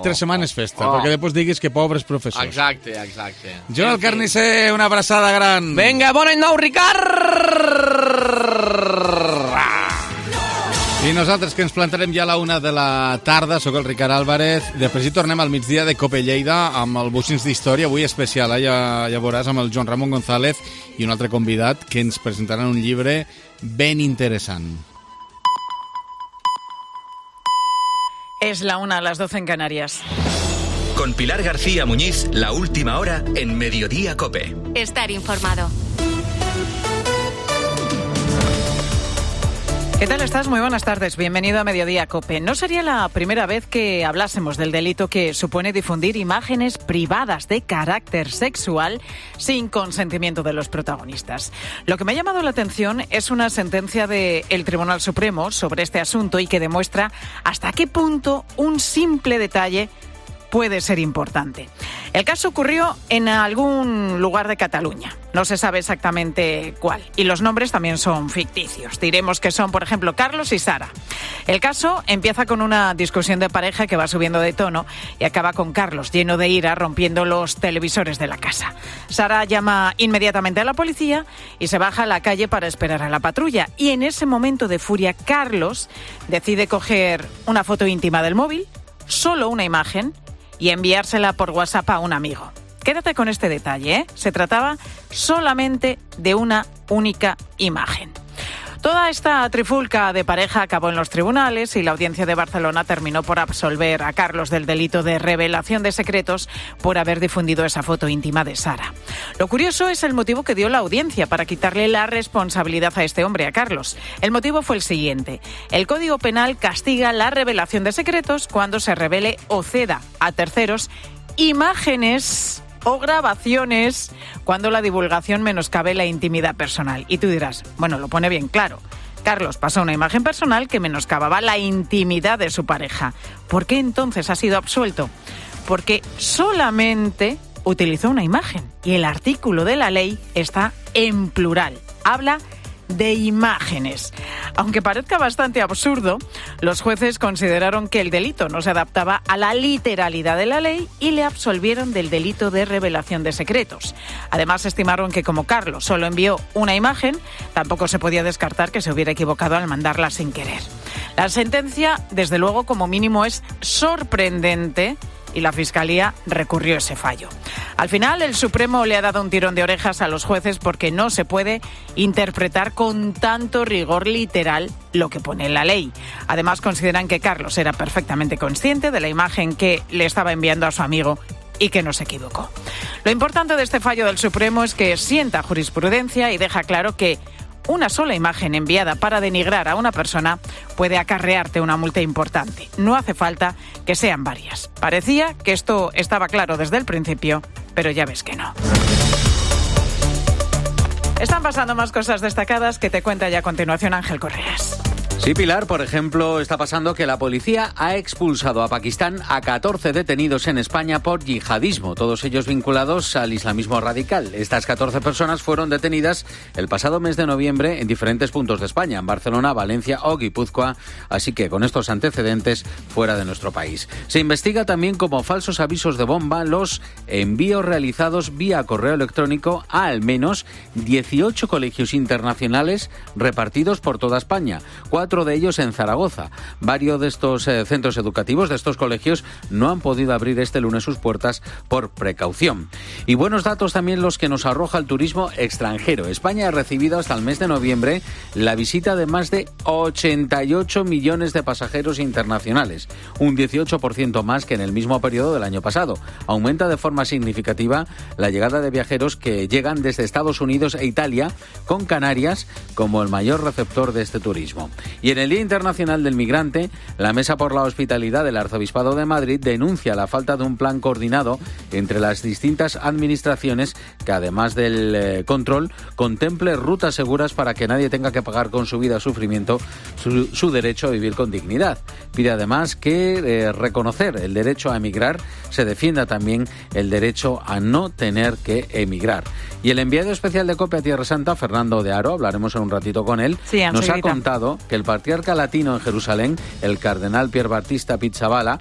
3 setmanes festa, perquè després diguis que pobres professors. Exacte. Joel Carnicer, una abraçada gran. Vinga, bon any nou, Ricard! I nosaltres, que ens plantarem ja a la 1 de la tarda. Soc el Ricard Álvarez. Després hi tornem al migdia de Cope Lleida amb el Buixins d'Història, avui especial, ja veuràs, amb el Joan Ramon González i un altre convidat que ens presentaran un llibre ben interessant. Es la 1, a las 12 en Canarias. Con Pilar García Muñiz, la última hora en Mediodía Cope. Estar informado. ¿Qué tal estás? Muy buenas tardes. Bienvenido a Mediodía COPE. No sería la primera vez que hablásemos del delito que supone difundir imágenes privadas de carácter sexual sin consentimiento de los protagonistas. Lo que me ha llamado la atención es una sentencia del Tribunal Supremo sobre este asunto y que demuestra hasta qué punto un simple detalle puede ser importante. El caso ocurrió en algún lugar de Cataluña. No se sabe exactamente cuál. Y los nombres también son ficticios. Diremos que son, por ejemplo, Carlos y Sara. El caso empieza con una discusión de pareja que va subiendo de tono y acaba con Carlos, lleno de ira, rompiendo los televisores de la casa. Sara llama inmediatamente a la policía y se baja a la calle para esperar a la patrulla. Y en ese momento de furia, Carlos decide coger una foto íntima del móvil, solo una imagen, y enviársela por WhatsApp a un amigo. Quédate con este detalle, ¿eh? Se trataba solamente de una única imagen. Toda esta trifulca de pareja acabó en los tribunales y la Audiencia de Barcelona terminó por absolver a Carlos del delito de revelación de secretos por haber difundido esa foto íntima de Sara. Lo curioso es el motivo que dio la Audiencia para quitarle la responsabilidad a este hombre, a Carlos. El motivo fue el siguiente. El Código Penal castiga la revelación de secretos cuando se revele o ceda a terceros imágenes o grabaciones cuando la divulgación menoscabe la intimidad personal. Y tú dirás, bueno, lo pone bien claro. Carlos pasó una imagen personal que menoscababa la intimidad de su pareja. ¿Por qué entonces ha sido absuelto? Porque solamente utilizó una imagen y el artículo de la ley está en plural. Habla de imágenes. Aunque parezca bastante absurdo, los jueces consideraron que el delito no se adaptaba a la literalidad de la ley y le absolvieron del delito de revelación de secretos. Además, estimaron que como Carlos solo envió una imagen, tampoco se podía descartar que se hubiera equivocado al mandarla sin querer. La sentencia, desde luego, como mínimo es sorprendente y la Fiscalía recurrió ese fallo. Al final, el Supremo le ha dado un tirón de orejas a los jueces porque no se puede interpretar con tanto rigor literal lo que pone en la ley. Además, consideran que Carlos era perfectamente consciente de la imagen que le estaba enviando a su amigo y que no se equivocó. Lo importante de este fallo del Supremo es que sienta jurisprudencia y deja claro que una sola imagen enviada para denigrar a una persona puede acarrearte una multa importante. No hace falta que sean varias. Parecía que esto estaba claro desde el principio, pero ya ves que no. Están pasando más cosas destacadas que te cuenta ya a continuación Ángel Correas. Sí, Pilar, por ejemplo, está pasando que la policía ha expulsado a Pakistán a 14 detenidos en España por yihadismo, todos ellos vinculados al islamismo radical. Estas 14 personas fueron detenidas el pasado mes de noviembre en diferentes puntos de España, en Barcelona, Valencia o Guipúzcoa, así que con estos antecedentes fuera de nuestro país. Se investiga también como falsos avisos de bomba los envíos realizados vía correo electrónico a al menos 18 colegios internacionales repartidos por toda España, 4 de ellos en Zaragoza. Varios de estos centros educativos, de estos colegios, no han podido abrir este lunes sus puertas por precaución. Y buenos datos también los que nos arroja el turismo extranjero. España ha recibido hasta el mes de noviembre la visita de más de 88 millones de pasajeros internacionales, un 18% más que en el mismo periodo del año pasado. Aumenta de forma significativa la llegada de viajeros que llegan desde Estados Unidos e Italia, con Canarias como el mayor receptor de este turismo. Y en el Día Internacional del Migrante, la Mesa por la Hospitalidad del Arzobispado de Madrid denuncia la falta de un plan coordinado entre las distintas administraciones que, además del control, contemple rutas seguras para que nadie tenga que pagar con su vida o sufrimiento su derecho a vivir con dignidad. Pide además que reconocer el derecho a emigrar se defienda también el derecho a no tener que emigrar. Y el enviado especial de COPE a Tierra Santa, Fernando de Aro, hablaremos en un ratito con él, nos ha contado que el patriarca latino en Jerusalén, el cardenal Pier Battista Pizzaballa,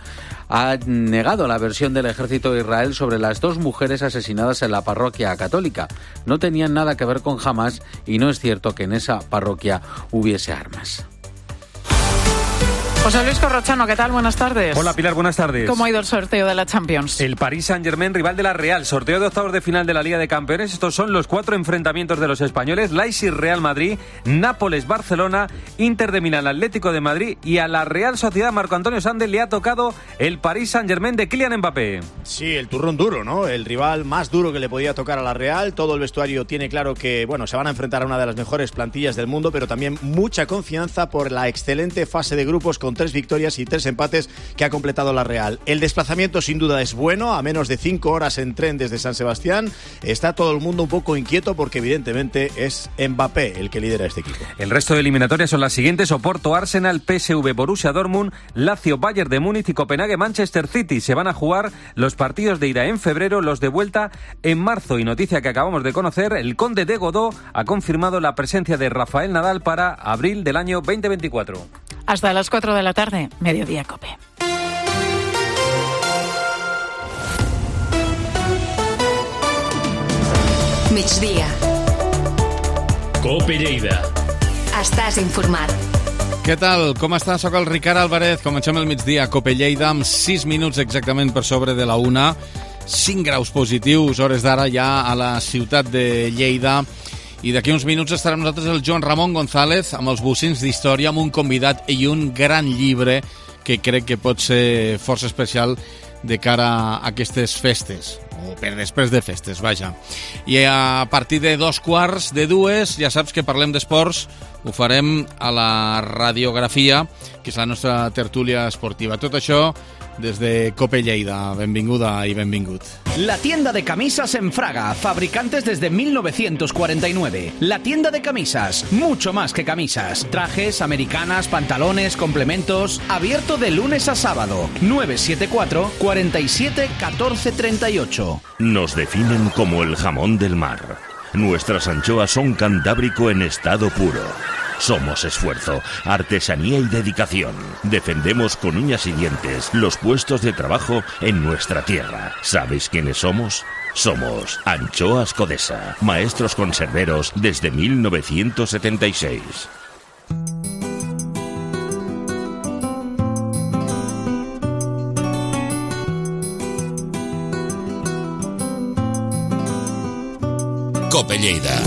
ha negado la versión del ejército de Israel sobre las 2 mujeres asesinadas en la parroquia católica. No tenían nada que ver con Hamas y no es cierto que en esa parroquia hubiese armas. José Luis Corrochano, ¿qué tal? Buenas tardes. Hola Pilar, buenas tardes. ¿Cómo ha ido el sorteo de la Champions? El Paris Saint-Germain, rival de la Real, sorteo de octavos de final de la Liga de Campeones. Estos son los 4 enfrentamientos de los españoles: Leipzig-Real Madrid, Nápoles-Barcelona, Inter de Milán, Atlético de Madrid, y a la Real Sociedad Marco Antonio Sande le ha tocado el Paris Saint-Germain de Kylian Mbappé. Sí, el turrón duro, ¿no? El rival más duro que le podía tocar a la Real. Todo el vestuario tiene claro que, bueno, se van a enfrentar a una de las mejores plantillas del mundo, pero también mucha confianza por la excelente fase de grupos con 3 victorias y 3 empates que ha completado la Real. El desplazamiento sin duda es bueno, a menos de 5 horas en tren desde San Sebastián. Está todo el mundo un poco inquieto porque evidentemente es Mbappé el que lidera este equipo. El resto de eliminatorias son las siguientes: Oporto, Arsenal, PSV, Borussia Dortmund, Lazio, Bayern de Múnich y Copenhague, Manchester City. Se van a jugar los partidos de ida en febrero, los de vuelta en marzo. Y noticia que acabamos de conocer, el Conde de Godó ha confirmado la presencia de Rafael Nadal para abril del año 2024. Hasta las 4 de la tarde, Mediodía Cope. Migdia. Cope Lleida. Estàs informat. Què tal? Com està? Soc el Ricard Álvarez. Comencem el migdia a Cope Lleida amb 6 minuts exactament per sobre de la 1. 5 graus positius, hores d'ara ja a la ciutat de Lleida. I d'aquí uns minuts estarà amb nosaltres el Joan Ramon González amb els bocins d'història, amb un convidat i un gran llibre que crec que pot ser força especial de cara a aquestes festes, o per després de festes, vaja. I a partir de 2:15, ja saps que parlem d'esports, ho farem a la radiografia, que és la nostra tertúlia esportiva. Tot això des de Cope Lleida. Benvinguda i benvingut. La tienda de camisas en Fraga, fabricantes desde 1949. La tienda de camisas, mucho más que camisas. Trajes, americanas, pantalones, complementos. Abierto de lunes a sábado. 974 47 14 38. Nos definen como el jamón del mar. Nuestras anchoas son cantábrico en estado puro. Somos esfuerzo, artesanía y dedicación. Defendemos con uñas y dientes los puestos de trabajo en nuestra tierra. ¿Sabéis quiénes somos? Somos Anchoas Codesa, maestros conserveros desde 1976. Cope Lleida.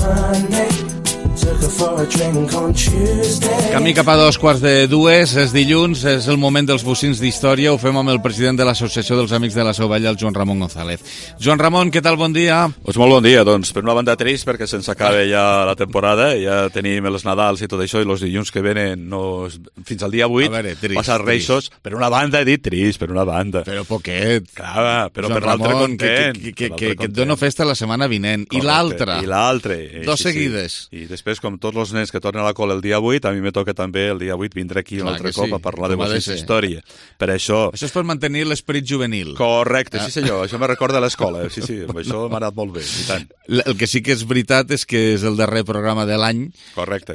Camí cap a 2:15, és dilluns, és el moment dels bocins d'història. Ho fem amb el president de l'Associació dels Amics de la Seu Vella, el Joan Ramon González. Joan Ramon, què tal? Bon dia. Doncs molt bon dia, doncs. Per una banda trist, perquè se'ns acaba ja la temporada, ja tenim els Nadals i tot això, i els dilluns que venen no... fins al dia 8, passar reixos. Per una banda he dit trist, per una banda. Però poquet. Clar, però Joan per l'altre Ramon, content. Que et dono festa la setmana vinent. I l'altra. I l'altra. Dos seguides. I després, com tots els nens que tornen a la col·le el dia 8, a mi me toca també el dia 8 vindre aquí un altre cop a parlar de vostra història. Per això... Això és per mantenir l'esperit juvenil. Correcte, sí senyor, això me recorda l'escola. Sí, amb això m'ha anat molt bé, i tant. El que sí que és veritat és que és el darrer programa de l'any. Correcte.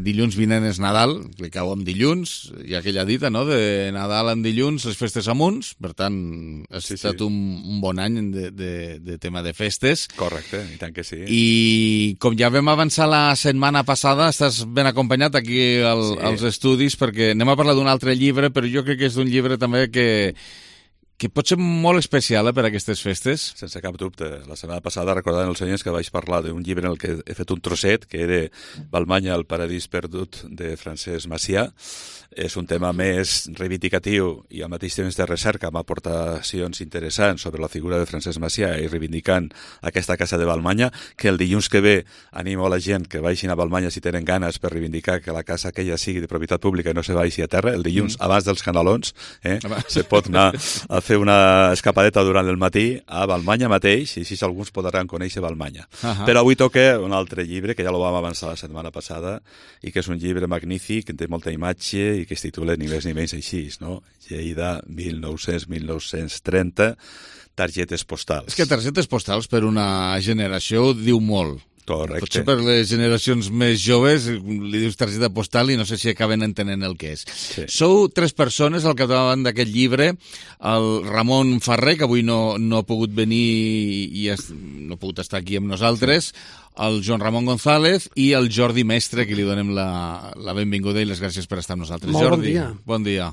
Dilluns vinent és Nadal, que cau amb dilluns, hi ha aquella dita, no?, de Nadal en dilluns, les festes amunts, per tant, ha estat un bon any de tema de festes. Correcte, i tant que sí. I com ja vam avançar la setmana passada, estàs ben acompanyat aquí als estudis, perquè anem a parlar d'un altre llibre, però jo crec que és d'un llibre també que pot ser molt especial per a aquestes festes. Sense cap dubte. La setmana passada, recordant els senyors, que vaig parlar d'un llibre en el que he fet un trosset, que era Balmanya, el paradís perdut, de Francesc Macià. És un tema més reivindicatiu i al mateix temps de recerca, amb aportacions interessants sobre la figura de Francesc Macià i reivindicant aquesta casa de Balmanya, que el dilluns que ve animo a la gent que vagin a Balmanya si tenen ganes per reivindicar que la casa aquella sigui de propietat pública i no se vagi a terra. El dilluns, abans dels canalons, se pot anar a fer una escapadeta durant el matí a Balmanya mateix, i així alguns podran conèixer Balmanya. Però avui toca un altre llibre, que ja lo vam avançar la setmana passada, i que és un llibre magnífic, que té molta imatge i que es titula ni més ni menys així, no? Lleida 1900-1930, targetes postals. És que targetes postals per una generació diu molt. Correcte. Potser per les generacions més joves li dius targeta postal i no sé si acaben entenent el que és. Sí. Sou 3 persones al capdavant d'aquest llibre, el Ramon Ferrer, que avui no ha pogut venir i no ha pogut estar aquí amb nosaltres, el Joan Ramon González i el Jordi Mestre, que li donem la benvinguda i les gràcies per estar amb nosaltres. Molt Jordi, bon dia. Bon dia.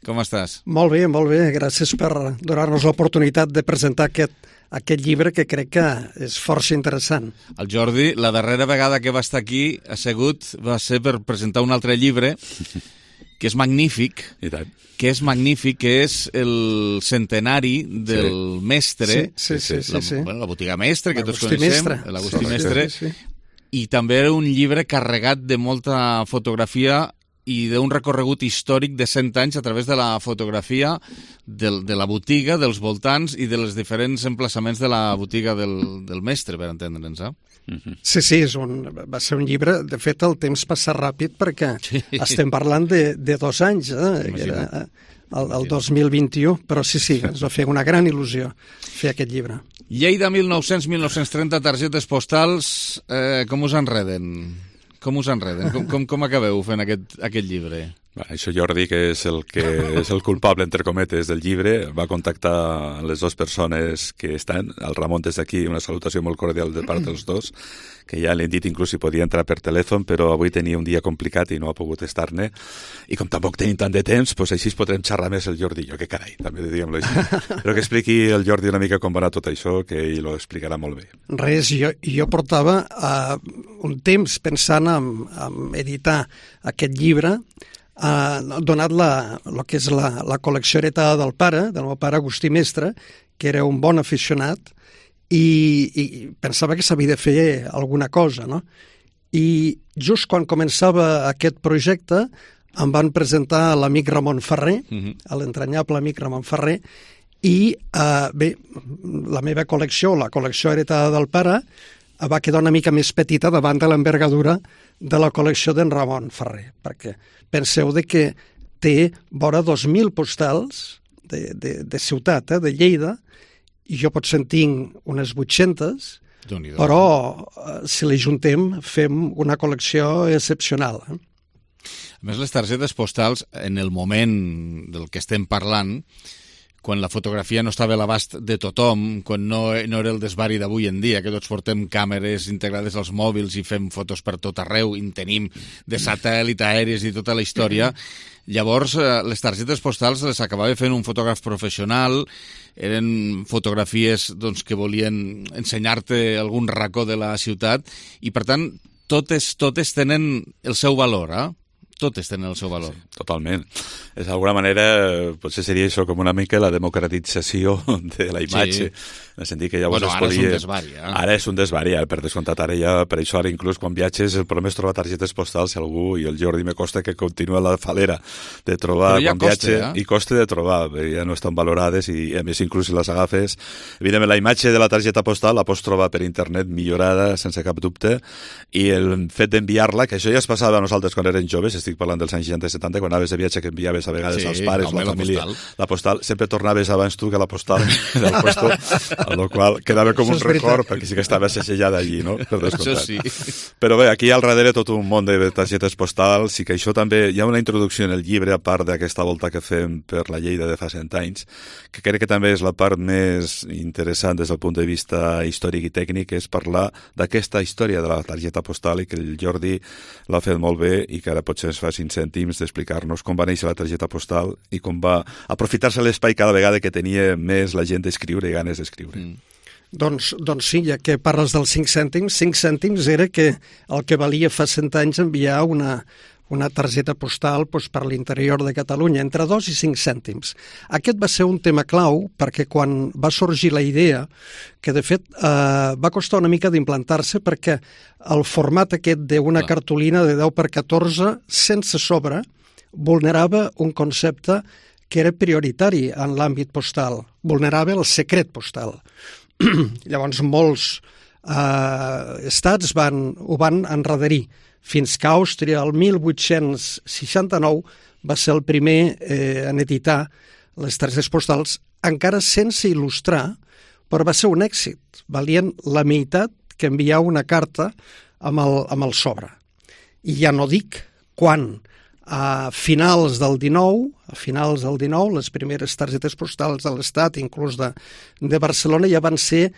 Com estàs? Molt bé. Gràcies per donar-nos l'oportunitat de presentar aquest llibre que crec que és força interessant. El Jordi, la darrera vegada que va estar aquí assegut va ser per presentar un altre llibre que és magnífic, que és el centenari del mestre, la botiga mestre, que tots coneixem, l'Agustí Mestre, i també era un llibre carregat de molta fotografia i d'un recorregut històric de 100 anys a través de la fotografia de la botiga, dels voltants i de les diferents emplaçaments de la botiga del mestre, per entendre'ns, Sí, va ser un llibre, de fet el temps passa ràpid perquè estem parlant de 2 anys, era el 2021, però sí, ens va fer una gran il·lusió fer aquest llibre. Lleida 1900-1930, targetes postals, com us enreden? Com acabeu fent aquest llibre? Això Jordi, que és el culpable, entre cometes, del llibre, va contactar les dues persones que estan. Al Ramon, des d'aquí, una salutació molt cordial de part dels dos, que ja li hem dit inclús si podia entrar per telèfon, però avui tenia un dia complicat i no ha pogut estar-ne. I com tampoc tenim tant de temps, doncs així podrem xerrar més el Jordi i jo, que carai, també diguem-lo així. Però que expliqui el Jordi una mica com va anar tot això, que ell ho explicarà molt bé. Res, jo portava un temps pensant en editar aquest llibre, donat el que és la col·lecció heretada del meu pare Agustí Mestre, que era un bon aficionat, i pensava que s'havia de fer alguna cosa, no? I just quan començava aquest projecte em van presentar l'amic Ramon Ferrer, l'entranyable amic Ramon Ferrer, i bé, la meva col·lecció, la col·lecció heretada del pare, va quedar una mica més petita davant de l'envergadura de la col·lecció d'en Ramon Ferrer, perquè penseu que té vora 2.000 postals de ciutat, de Lleida, i jo potser en tinc unes 800, però si les juntem fem una col·lecció excepcional. A més, les targetes postals, en el moment del que estem parlant, quan la fotografia no estava a l'abast de tothom, quan no era el desvari d'avui en dia, que tots portem càmeres integrades als mòbils i fem fotos per tot arreu, i en tenim de satèl·lit, aèries i tota la història, llavors les targetes postals les acabava fent un fotògraf professional, eren fotografies que volien ensenyar-te algun racó de la ciutat, i per tant totes tenen el seu valor, totes tenen el seu valor. Sí, totalment. D'alguna manera, potser seria això com una mica la democratització de la imatge. Sí. En el sentit que llavors ara és un desvari. Ara és un desvari, per descomptat. Ara ja, per això, ara inclús quan viatges, el problema és trobar targetes postals, si algú, i el Jordi me costa que continua la falera de trobar quan viatge, i costa de trobar, ja no estan valorades, i a més inclús si les agafes, evidentment la imatge de la targeta postal la pots trobar per internet millorada, sense cap dubte, i el fet d'enviar-la, que això ja es passava a nosaltres quan érem joves, estic parlant dels anys 60 i 70, quan anaves de viatge que enviaves a vegades als pares, la família, la postal, sempre tornaves abans tu que la postal del puesto, amb la qual quedava com un record, perquè sí que estava assajada allí, no? Per descomptat. Això sí. Però bé, aquí al darrere tot un món de targetes postals, i que això també, hi ha una introducció en el llibre, a part d'aquesta volta que fem per la Lleida de fa 100 anys, que crec que també és la part més interessant des del punt de vista històric i tècnic, és parlar d'aquesta història de la targeta postal, i que el Jordi l'ha fet molt bé, i que ara potser ens fa 5 cèntims d'explicar-nos com va néixer la targeta postal i com va aprofitar-se l'espai cada vegada que tenia més la gent d'escriure i ganes d'escriure. Doncs sí, ja que parles dels 5 cèntims era que el que valia fa 100 anys enviar una targeta postal per l'interior de Catalunya, entre 2 i 5 cèntims. Aquest va ser un tema clau perquè quan va sorgir la idea, que de fet va costar una mica d'implantar-se perquè el format aquest d'una cartolina de 10x14 sense sobre vulnerava un concepte que era prioritari en l'àmbit postal, vulnerava el secret postal. Llavors molts estats ho van endarrerir, fins que Àustria, el 1869, va ser el primer en editar les targetes postals, encara sense il·lustrar, però va ser un èxit. Valien la meitat que enviar una carta amb el sobre. I ja no dic quan, a finals del 19, les primeres targetes postals de l'Estat, inclús de Barcelona, ja van ser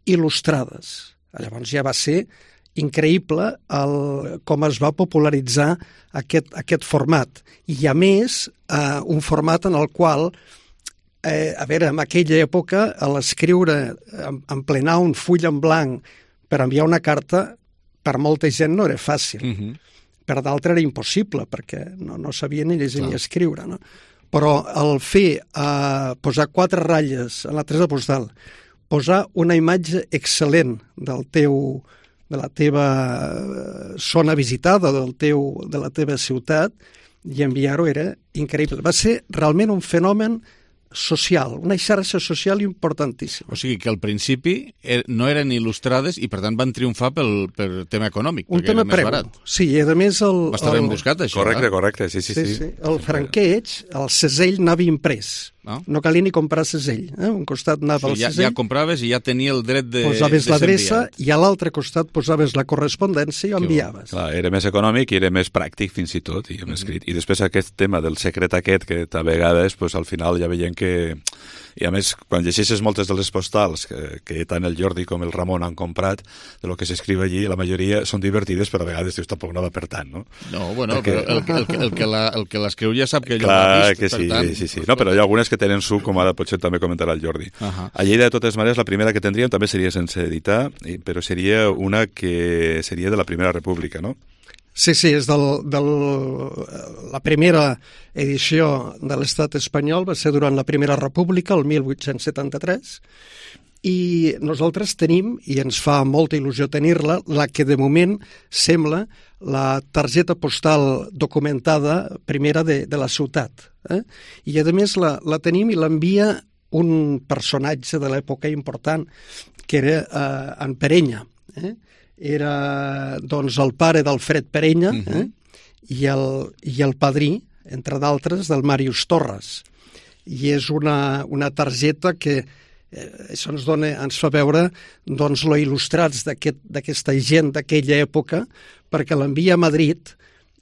il·lustrades. Llavors ja va ser increïble com es va popularitzar aquest format. I a més, un format en el qual, en aquella època, a l'escriure, emplenar un full en blanc per enviar una carta, per molta gent no era fàcil. Per d'altra era impossible, perquè no sabia ni llegir ni escriure, no? Però el fer posar 4 ratlles en la targeta postal, posar una imatge excel·lent de la teva zona visitada, de la teva ciutat, i enviar-ho era increïble. Va ser realment un fenomen social, una xarxa social importantíssima. O sigui que al principi no eren il·lustrades i per tant van triomfar pel tema econòmic, perquè era més barat. Sí, i a més va estar ben buscat, això. Correcte, sí. El franqueig, el segell anava imprès. No calia ni comprar segell. A un costat anava el segell. Ja compraves i ja tenia el dret de posaves l'adreça i a l'altre costat posaves la correspondència i enviaves. Clar, era més econòmic i era més pràctic fins i tot, i escrit. I després aquest tema del secret aquest, que a vegades al final ja veiem que... I a més, quan llegeixes moltes de les postals que tant el Jordi com el Ramon han comprat, de lo que s'escriu allí, la majoria són divertides, però a vegades dius, tampoc no va per tant, no? No, bueno, perquè... però el que l'escriu ja sap que ell clar, l'ha vist, que sí, per tant... Sí. No, però hi ha algunes que tenen suc, com ara potser també comentarà el Jordi. A Lleida, de totes maneres, la primera que tindríem també seria sense editar, però seria una que seria de la Primera República, no? Sí, és la primera edició de l'Estat espanyol, va ser durant la Primera República, el 1873, i nosaltres tenim, i ens fa molta il·lusió tenir-la, la que de moment sembla la targeta postal documentada primera de la ciutat. I a més la tenim i l'envia un personatge de l'època important, que era en Perenya, era doncs el pare d'Alfred Perenya i el padrí, entre d'altres, del Màrius Torres. I és una targeta que això ens fa veure doncs, lo il·lustrats d'aquesta gent d'aquella època, perquè l'envia a Madrid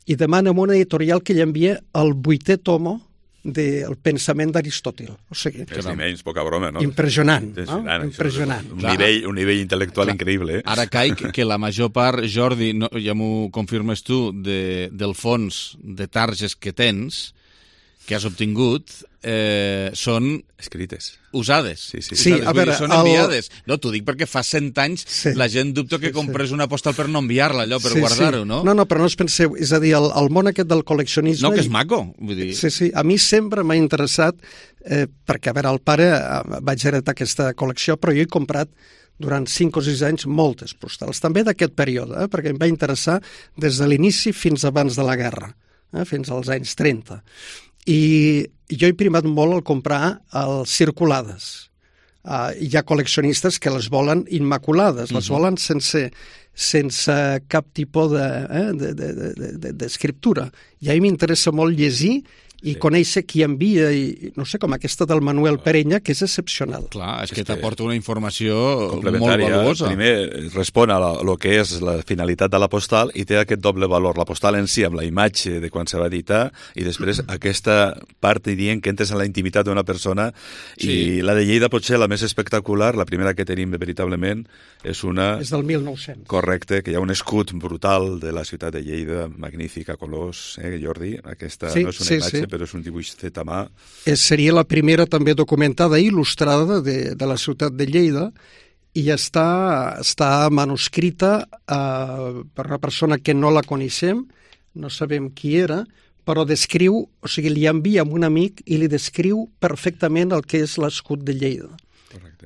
i demana a una editorial que l'envia el 8è tomo del pensament d'Aristòtil. O sigui, és ni menys, poca broma, no? Impressionant. Impressionant. Un nivell intel·lectual increïble. Ara caic que la major part, Jordi, ja m'ho confirmes tu, del fons de targes que tens, que has obtingut, són... escrites. Usades. Sí, a veure... Són enviades. No, t'ho dic perquè fa 100 anys la gent dubta que comprés una postal per no enviar-la, allò, per guardar-ho, no? No, però no us penseu. És a dir, el món aquest del col·leccionisme... No, que és maco. Vull dir... Sí, a mi sempre m'ha interessat, perquè, a veure, el pare vaig heretar aquesta col·lecció, però jo he comprat durant 5 o 6 anys moltes postals, també d'aquest període, perquè em va interessar des de l'inici fins abans de la guerra, fins als anys 30. I jo he primat molt el comprar els circulades. Hi ha col·leccionistes que les volen immaculades, les volen sense cap tipus d'escriptura. I a mi m'interessa molt llegir i conèixer qui envia, i no sé, com aquesta del Manuel Perenya, que és excepcional. Clar, és que t'aporta una informació molt valuosa. Primer, respon a lo que és la finalitat de la postal i té aquest doble valor. La postal en si, amb la imatge de quan se va editar, i després aquesta part dient que entres en la intimitat d'una persona. I la de Lleida potser la més espectacular, la primera que tenim veritablement, és una... És del 1900. Correcte, que hi ha un escut brutal de la ciutat de Lleida, magnífica, colors, Jordi? Aquesta no és una imatge, però és un dibuix fet a mà. Seria la primera també documentada i il·lustrada de la ciutat de Lleida, i està manuscrita per una persona que no la coneixem, no sabem qui era, però descriu, o sigui, li envia a un amic i li descriu perfectament el que és l'escut de Lleida.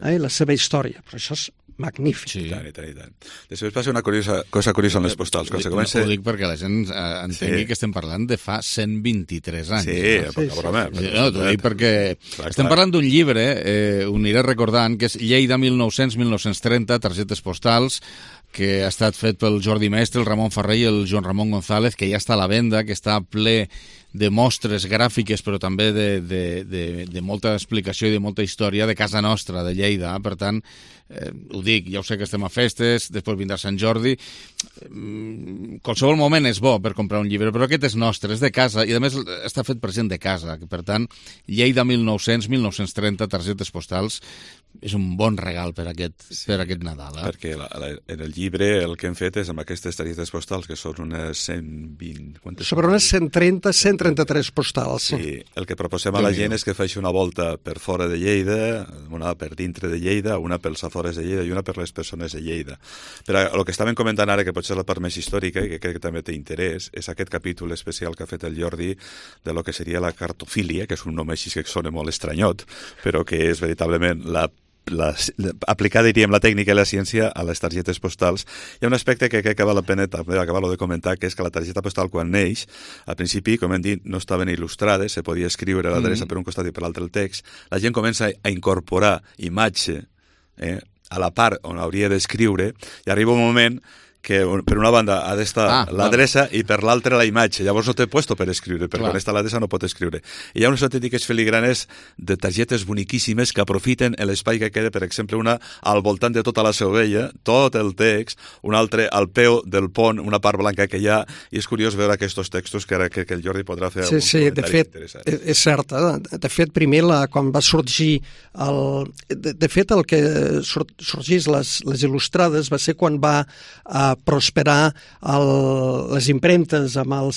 La seva història. Però això és magnífic. Sí. Tant. Després passa una cosa curiosa en les postals. Ho dic perquè la gent entengui que estem parlant de fa 123 anys. Poca broma. No, t'ho dic perquè estem parlant d'un llibre, ho aniré recordant, que és Lleida 1900-1930, targetes postals, que ha estat fet pel Jordi Mestre, el Ramon Ferrer i el Joan Ramon González, que ja està a la venda, que està ple de mostres gràfiques, però també de molta explicació i de molta història de casa nostra, de Lleida. Per tant, ho dic, ja ho sé que estem a festes, després vindrà Sant Jordi, qualsevol moment és bo per comprar un llibre, però aquest és nostre, és de casa, i a més està fet per gent de casa. Per tant, Lleida 1900-1930, targetes postals, és un bon regal per aquest Nadal. Perquè en el llibre el que hem fet és amb aquestes targetes postals, que són unes 120... Sobre unes 130, 133 postals. Sí, el que proposem a la gent és que faci una volta per fora de Lleida, una per dintre de Lleida, una pels afores de Lleida i una per les persones de Lleida. Però el que estàvem comentant ara, que potser és la part més històrica i que crec que també té interès, és aquest capítol especial que ha fet el Jordi de lo que seria la cartofília, que és un nom així que sona molt estranyot, però que és veritablement la aplicar, diríem, la tècnica i la ciència a les targetes postals. Hi ha un aspecte que crec que val la pena acabar-lo de comentar, que és que la targeta postal, quan neix, al principi, com hem dit, no estaven il·lustrades, se podia escriure l'adreça per un costat i per l'altre el text. La gent comença a incorporar imatge a la part on hauria d'escriure, i arriba un moment que per una banda ha d'estar l'adreça i per l'altra la imatge. Llavors no té puesto per escriure, perquè quan està l'adreça no pot escriure. I hi ha unes autèntiques filigranes de targetes boniquíssimes que aprofiten l'espai que queda, per exemple, una al voltant de tota la Selvella, tot el text, una altra al peu del pont, una part blanca que hi ha, i és curiós veure aquests textos que el Jordi podrà fer alguns comentaris interessants. És cert. De fet, primer, quan va sorgir de fet, el que sorgís les il·lustrades va ser quan va prosperar les impremtes amb els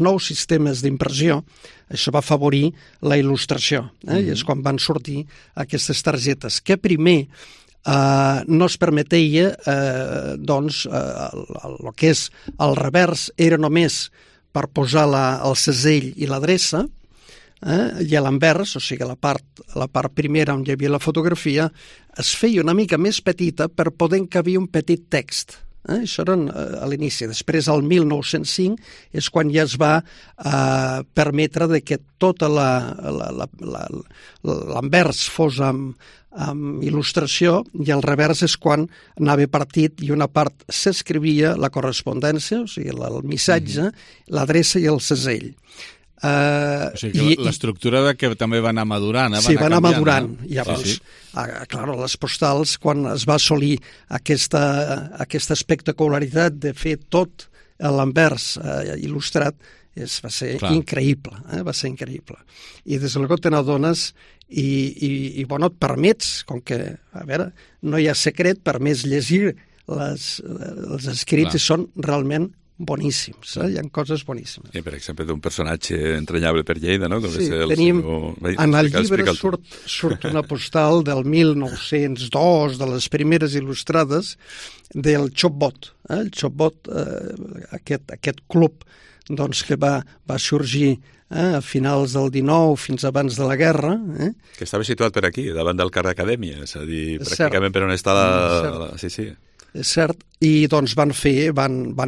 nous sistemes d'impressió. Això va afavorir la il·lustració, i és quan van sortir aquestes targetes, que primer no es permetia, doncs, el que és el revers era només per posar el segell i l'adreça, i a l'anvers, o sigui, la part primera on hi havia la fotografia, es feia una mica més petita per poder encabir un petit text. Això era a l'inici. Després, el 1905, és quan ja es va permetre que tota l'anvers fos amb il·lustració, i el revers és quan anava partit i una part s'escrivia la correspondència, o sigui, el missatge, l'adreça i el segell. O sigui que l'estructura que també va anar madurant. Sí, va anar madurant. Llavors, clar, les postals, quan es va assolir aquesta espectacularitat de fer tot l'anvers il·lustrat, va ser increïble, va ser increïble. I des de te n'adones i bueno, et permets, com que, a veure, no hi ha secret, permets llegir els escrits i són realment boníssims, hi ha coses boníssimes. Per exemple, d'un personatge entranyable per Lleida, no? Sí, tenim, en el llibre surt una postal del 1902, de les primeres il·lustrades, del Chopbot. El Chopbot, aquest club que va sorgir a finals del 19 fins abans de la guerra. Que estava situat per aquí, davant del carrer Acadèmia, és a dir, pràcticament per on està la... Sí. És cert, i doncs van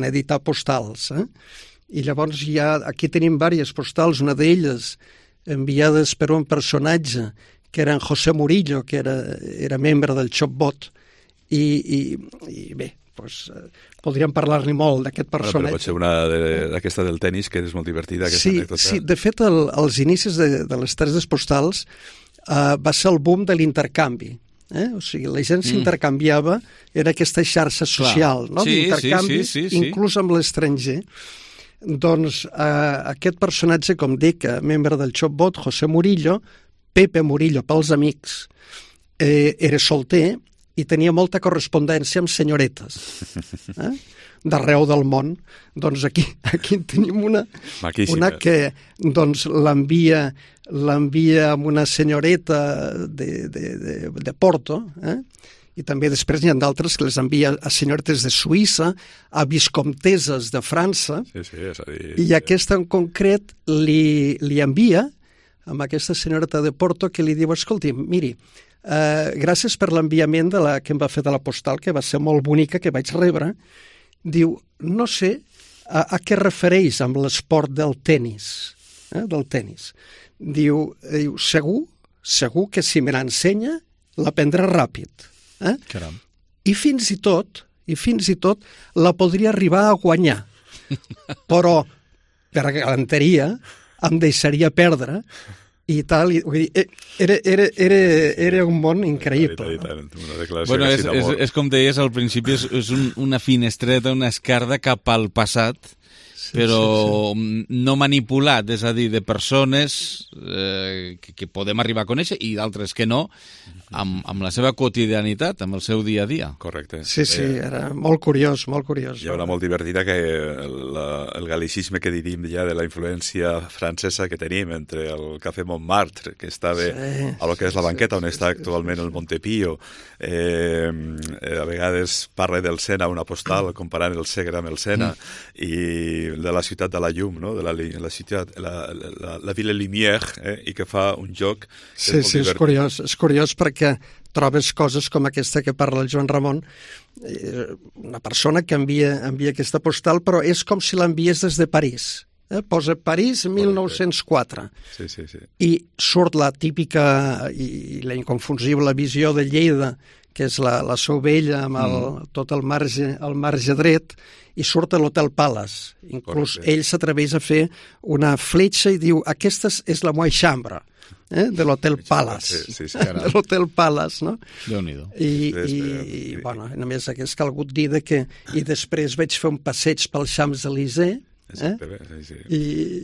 editar postals. I llavors aquí tenim diverses postals, una d'elles enviades per un personatge que era en José Murillo, que era membre del Chopbot, i bé, podríem parlar-li molt d'aquest personatge. Però pot ser una d'aquesta del tennis, que és molt divertida. Sí, de fet, als inicis de les targetes postals va ser el boom de l'intercanvi. O sigui, la gent s'intercanviava, era aquesta xarxa social, no? D'intercanvis, inclús amb l'estranger. Doncs aquest personatge, com dic, membre del Chopbot, José Murillo, Pepe Murillo pels amics, era solter i tenia molta correspondència amb senyoretes d'arreu del món. Doncs aquí en tenim una que l'envia amb una senyoreta de Porto, i també després hi ha d'altres que les envia a senyoretes de Suïssa, a viscomteses de França, i aquesta en concret li envia amb aquesta senyoreta de Porto, que li diu: escolti, miri, gràcies per l'enviament que em va fer de la postal, que va ser molt bonica, que vaig rebre. Diu, no sé a què refereix amb l'esport del tennis. Diu, segur que si me l'ensenya l'aprendrà ràpid. I fins i tot la podria arribar a guanyar, però per galanteria em deixaria perdre i tal. Era un món increïble. Bueno, és com deies al principi, és una finestreta, una esquerda cap al passat, però no manipulat, és a dir, de persones que podem arribar a conèixer i d'altres que no, amb la seva quotidianitat, amb el seu dia a dia. Correcte. Sí, era molt curiós, molt curiós. Hi ha una molt divertida que el galicisme que diríem ja de la influència francesa que tenim entre el Cafè Montmartre, que estava a lo que és la banqueta on està actualment el Montepío, a vegades parla del Sena, una postal, comparant el Segre amb el Sena, i de la ciutat de la llum, no? De la ciutat, la Ville Lumière, i que fa un joc... Sí, és curiós perquè trobes coses com aquesta que parla el Joan Ramon, una persona que envia aquesta postal, però és com si l'enviés des de París. Posa París 1904. Sí. I surt la típica i la inconfusible visió de Lleida, que és la seu vella amb tot el marge dret, i surt a l'Hotel Palace. Inclús ell s'atreveix a fer una fletxa i diu, aquesta és la moja xambra, de l'Hotel Palace. Sí, de l'Hotel Palace, no? Déu-n'hi-do. I bueno, només hagués calgut dir que... I després vaig fer un passeig pel Champs-Élysées,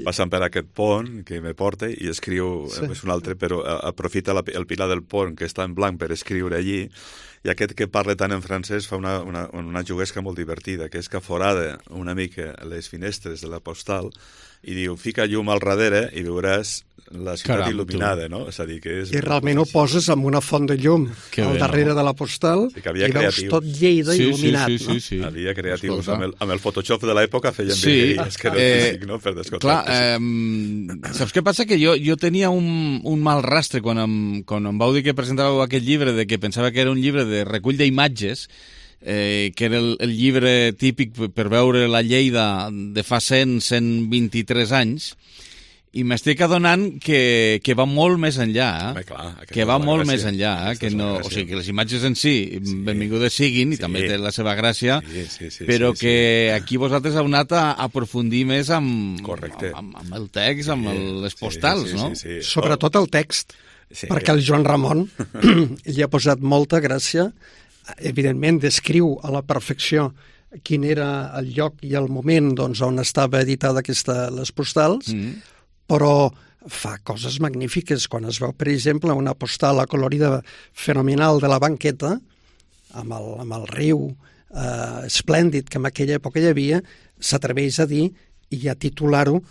passant per aquest pont que me porta i escriu, és un altre, però aprofita el pilar del pont que està en blanc per escriure allí, i aquest que parla tant en francès fa una juguesca molt divertida, que és que forada una mica les finestres de la postal i diu, fica llum al darrere i veuràs la ciutat il·luminada, no? És a dir, que és... I realment ho poses amb una font de llum al darrere de la postal i veus tot Lleida il·luminat. Sí. Havia creatius. Amb el Photoshop de l'època feien bé és característic, no? Per descomptat. Clar, saps què passa? Que jo tenia un mal rastre quan em vau dir que presentàveu aquest llibre, de que pensava que era un llibre de recull d'imatges, que era el llibre típic per veure la Lleida de fa 123 anys, i m'estic adonant que va molt més enllà, que va molt més enllà, que no, o sigui, que les imatges en si benvingudes siguin, i també té la seva gràcia, però que aquí vosaltres heu anat a aprofundir més amb el text, amb les postals, no? Sobretot el text, perquè el Joan Ramon hi ha posat molta gràcia, evidentment descriu a la perfecció quin era el lloc i el moment on estava editada les postals, però fa coses magnífiques. Quan es veu, per exemple, una postal acolorida fenomenal de la banqueta, amb el riu esplèndid que en aquella època hi havia, s'atreveix a dir i a titular-ho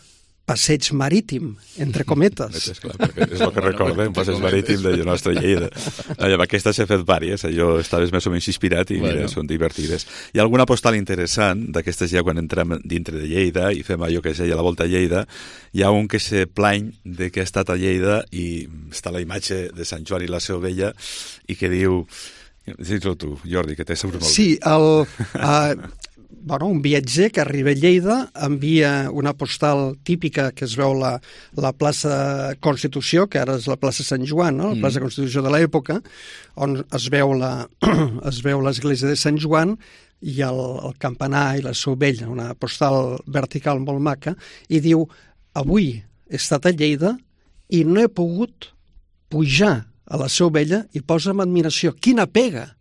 passeig marítim, entre cometes. És clar, perquè és el que recordem, passeig marítim de la nostra Lleida. Amb aquestes he fet vàries, jo estaves més o menys inspirat i mira, són divertides. Hi ha alguna postal interessant, d'aquestes ja quan entrem dintre de Lleida i fem allò que es deia la Volta a Lleida, hi ha un que se plany de que ha estat a Lleida i està la imatge de Sant Joan i la Seu Vella i que diu... Digue-ho tu, Jordi, que t'he sabut molt bé. Sí, un viatger que arriba a Lleida envia una postal típica que es veu la plaça Constitució, que ara és la plaça Sant Joan, no? La plaça Constitució de l'època, on es veu l'església de Sant Joan i el campanar i la Seu Vella, una postal vertical molt maca, i diu, avui he estat a Lleida i no he pogut pujar a la Seu Vella, i posa amb admiració, quina pega!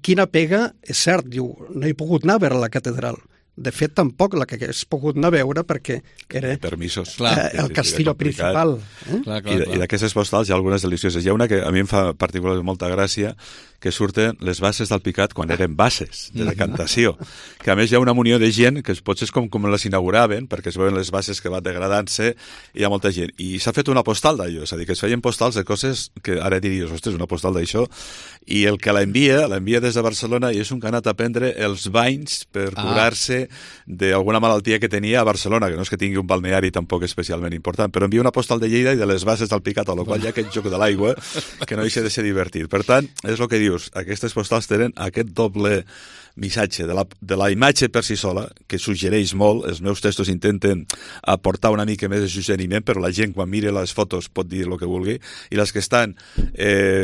Quina pega, és cert, diu, no he pogut anar a veure la catedral. De fet, tampoc la que hagués pogut anar a veure perquè era el castillo principal. I d'aquestes postals hi ha algunes delicioses. Hi ha una que a mi em fa particularment molta gràcia, que surten les bases del Picat quan eren bases de decantació. Que a més hi ha una munió de gent que potser és com les inauguraven, perquè es veuen les bases que van degradant-se, i hi ha molta gent. I s'ha fet una postal d'allò, és a dir, que es feien postals de coses que ara diries, ostres, una postal d'això, i el que l'envia des de Barcelona i és un que ha anat a prendre els banys per curar-se d'alguna malaltia que tenia a Barcelona, que no és que tingui un balneari tampoc especialment important, però envia una postal de Lleida i de les bases del Picat, a la qual hi ha aquest joc de l'aigua que no deixa de ser divertit. Per tant, és el que dius, aquestes postals tenen aquest doble missatge de la imatge per si sola, que suggereix molt. Els meus textos intenten aportar una mica més de suggeriment, però la gent quan mira les fotos pot dir el que vulgui, i les que estan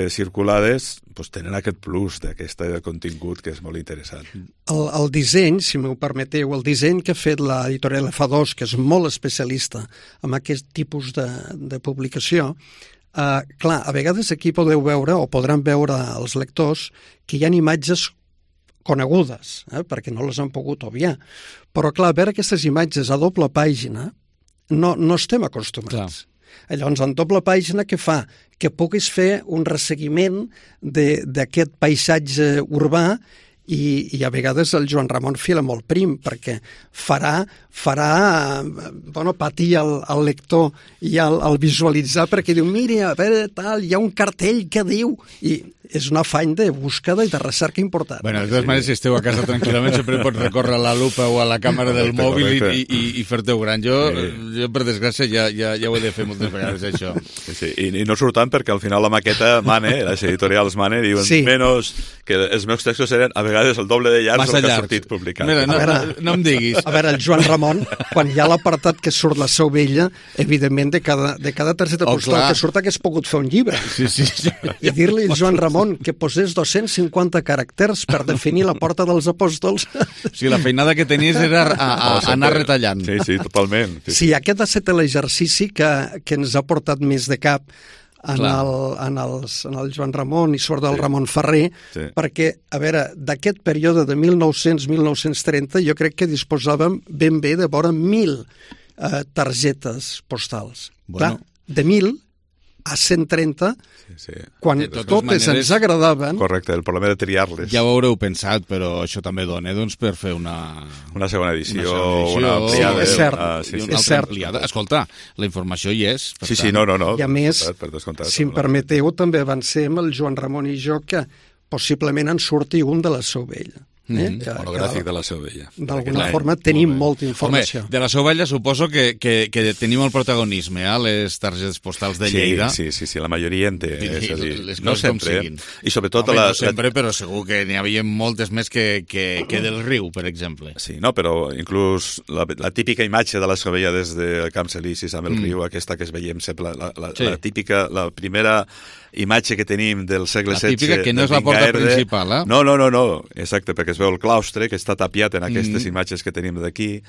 circulades tenen aquest plus d'aquest contingut que és molt interessant. El disseny, si m'ho permeteu, el disseny que ha fet l'editorial F2, que és molt especialista en aquest tipus de publicació, clar, a vegades aquí podeu veure, o podran veure els lectors, que hi ha imatges conegudes, perquè no les han pogut obviar. Però, clar, veure aquestes imatges a doble pàgina no estem acostumats. Llavors, en doble pàgina, què fa? Que puguis fer un resseguiment d'aquest paisatge urbà i a vegades el Joan Ramon fila molt prim, perquè farà patir el lector i el visualitzar, perquè diu, mira, a veure, tal, hi ha un cartell que diu... I és un afany de búsqueda i de recerca important. Bueno, de totes maneres, si esteu a casa tranquil·lament, sempre pots recórrer a la lupa o a la càmera del mòbil i fer-te-ho gran. Jo, per desgràcia, ja ho he de fer moltes vegades, això. Sí, i no surt tant perquè al final la maqueta Mane, les editorials Mane, diuen menys que els meus textos eren a vegades el doble de llargs del que ha sortit publicat. Mira, no em diguis. A veure, el Joan Ramon, quan hi ha l'apartat que surt la Seu Vella, evidentment de cada targeta postal que surt hagués pogut fer un llibre. Sí. I dir-li al Joan Ramon que posés 250 caràcters per definir la porta dels apòstols. Sí, la feinada que tenies era anar retallant. Sí, totalment. Sí, aquest ha estat l'exercici que ens ha portat més de cap en el Joan Ramon i sobretot el Ramon Ferrer, perquè, a veure, d'aquest període de 1900-1930 jo crec que disposàvem ben bé de vora 1.000 targetes postals. Clar, de 1.000 a 130, quan totes ens agradaven... Correcte, el problema de triar-les. Ja ho haureu pensat, però això també dona per fer una segona edició, una ampliada. És cert. Escolta, la informació hi és. Sí, no. I a més, si em permeteu, també avancem el Joan Ramon i jo que possiblement en surti un de la Seu Vella. Monogràfic de la Seu Vella. D'alguna forma tenim molta informació. Home, de la Seu Vella suposo que tenim el protagonisme, les targetes postals de Lleida. Sí, la majoria en té. Les coses com siguin. I sobretot... No sempre, però segur que n'hi havia moltes més que del Riu, per exemple. Sí, no, però inclús la típica imatge de la Seu Vella des de Camps Elisis amb el Riu, aquesta que es veiem sempre, la típica, la primera imatge que tenim del segle XVI... La típica que no és la porta principal, eh? No, exacte, perquè es veu el claustre, que està tapiat en aquestes imatges que tenim d'aquí.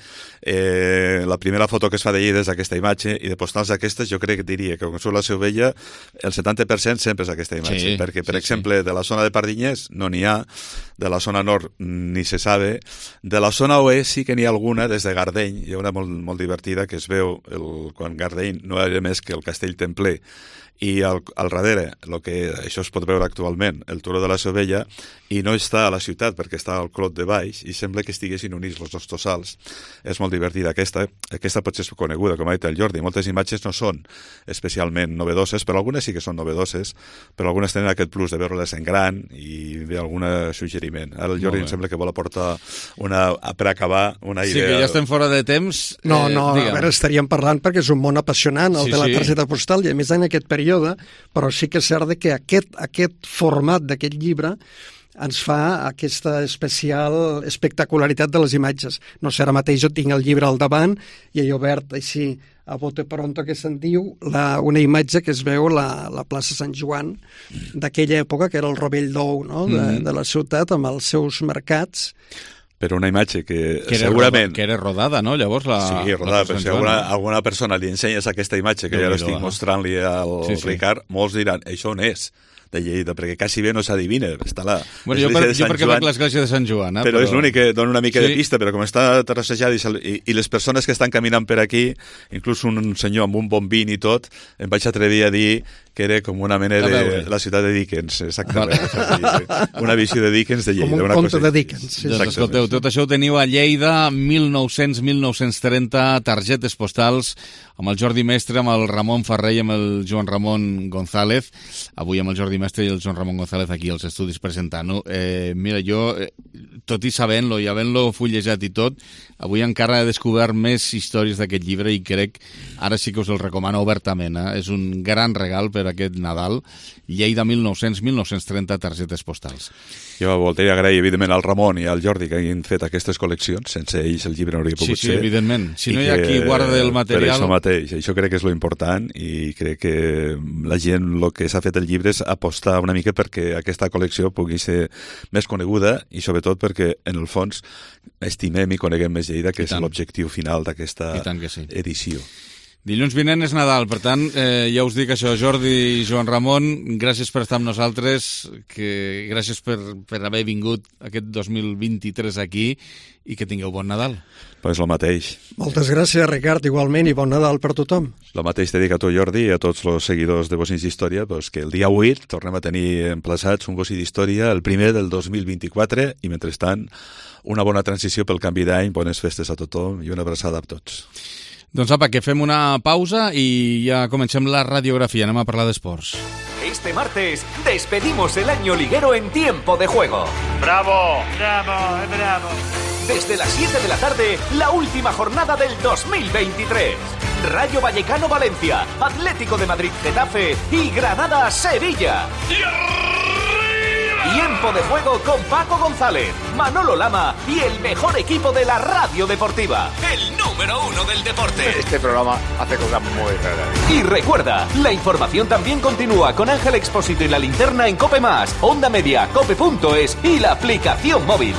La primera foto que es fa de Lleida és aquesta imatge, i de postals aquestes jo crec que diria que quan surt la Seu Vella el 70% sempre és aquesta imatge, perquè, per exemple, de la zona de Pardinyers no n'hi ha, de la zona nord ni se sabe, de la zona oest sí que n'hi ha alguna, des de Gardeny, hi ha una molt divertida que es veu quan Gardeny no era més que el castell templer, i al darrere, això es pot veure actualment, el turó de la Seu Vella, i no està a la ciutat perquè està al Clot de Baix i sembla que estiguessin units els dos tossals. És molt divertida aquesta pot ser coneguda, com ha dit el Jordi. Moltes imatges no són especialment novedoses, però algunes sí que són novedoses, però algunes tenen aquest plus de veure-les en gran i ve algun suggeriment. Ara el Jordi em sembla que vol aportar per acabar una idea... Sí, que ja estem fora de temps. No, a veure, estaríem parlant perquè és un món apassionant, el de la targeta postal, i a més en aquest període, però sí que és cert que aquest format d'aquest llibre ens fa aquesta especial espectacularitat de les imatges. No sé, ara mateix jo tinc el llibre al davant i he obert així a bote pronto, que se'n diu, una imatge que es veu a la plaça Sant Joan d'aquella època, que era el rovell d'ou, no? de la ciutat, amb els seus mercats. Però una imatge que segurament... Que era rodada, no? Llavors sí, rodada, però si alguna persona li ensenyes aquesta imatge, que ja l'estic mostrant-li al Ricard, molts diran, això on és? De Lleida, perquè quasi bé no s'adivina. Està jo perquè veig l'església de Sant Joan. Però és l'únic que dona una mica de pista, però com està terrassejada i les persones que estan caminant per aquí, inclús un senyor amb un bombín i tot, em vaig atrevir a dir que era com una mena de la ciutat de Dickens, exactament. Una visió de Dickens de Lleida. Com un conte de Dickens. Doncs escolteu, tot això ho teniu a Lleida, 1900-1930, targetes postals, amb el Jordi Mestre, amb el Ramon Ferrer i amb el Joan Ramon González. Avui amb el Jordi Mestre i el Joan Ramon González aquí als estudis presentant-ho. Mira, jo, tot i sabent-lo i havent-lo fullejat i tot, avui encara he descobert més històries d'aquest llibre i crec, ara sí que us el recomano obertament. És un gran regal per aquest Nadal. Lleida 1900-1930, targetes postals. Jo voldria agrair, evidentment, al Ramon i al Jordi que hagin fet aquestes col·leccions. Sense ells el llibre no hauria pogut ser. Sí, evidentment. Si no hi ha qui guarda el material... Per això mateix. Això crec que és lo important i crec que la gent, el que s'ha fet el llibre és apostar una mica perquè aquesta col·lecció pugui ser més coneguda i sobretot perquè, en el fons, estimem i coneguem més Lleida, que és l'objectiu final d'aquesta edició. Dilluns vinent és Nadal, per tant, ja us dic això, Jordi i Joan Ramon, gràcies per estar amb nosaltres, gràcies per haver vingut aquest 2023 aquí i que tingueu bon Nadal. Pues el mateix. Moltes gràcies, Ricard, igualment, i bon Nadal per tothom. El mateix te dic a tu, Jordi, i a tots els seguidors de Bocins d'Història, pues que el dia 8 tornem a tenir emplaçats un Bocí d'Història, el primer del 2024, i mentrestant, una bona transició pel canvi d'any, bones festes a tothom i una abraçada a tots. Doncs apa, que fem una pausa i ja comencem la radiografia, anem a parlar d'esports. Este martes despedimos el año liguero en tiempo de juego. ¡Bravo! ¡Bravo! ¡Bravo! Desde las 7 de la tarde, la última jornada del 2023. Rayo Vallecano Valencia, Atlético de Madrid Getafe y Granada Sevilla. Tiempo de juego con Paco González, Manolo Lama y el mejor equipo de la radio deportiva. El número 1 del deporte. Este programa hace cosas muy raras. Y recuerda, la información también continúa con Ángel Expósito y la linterna en Cope+, Onda Media, Cope.es y la aplicación móvil.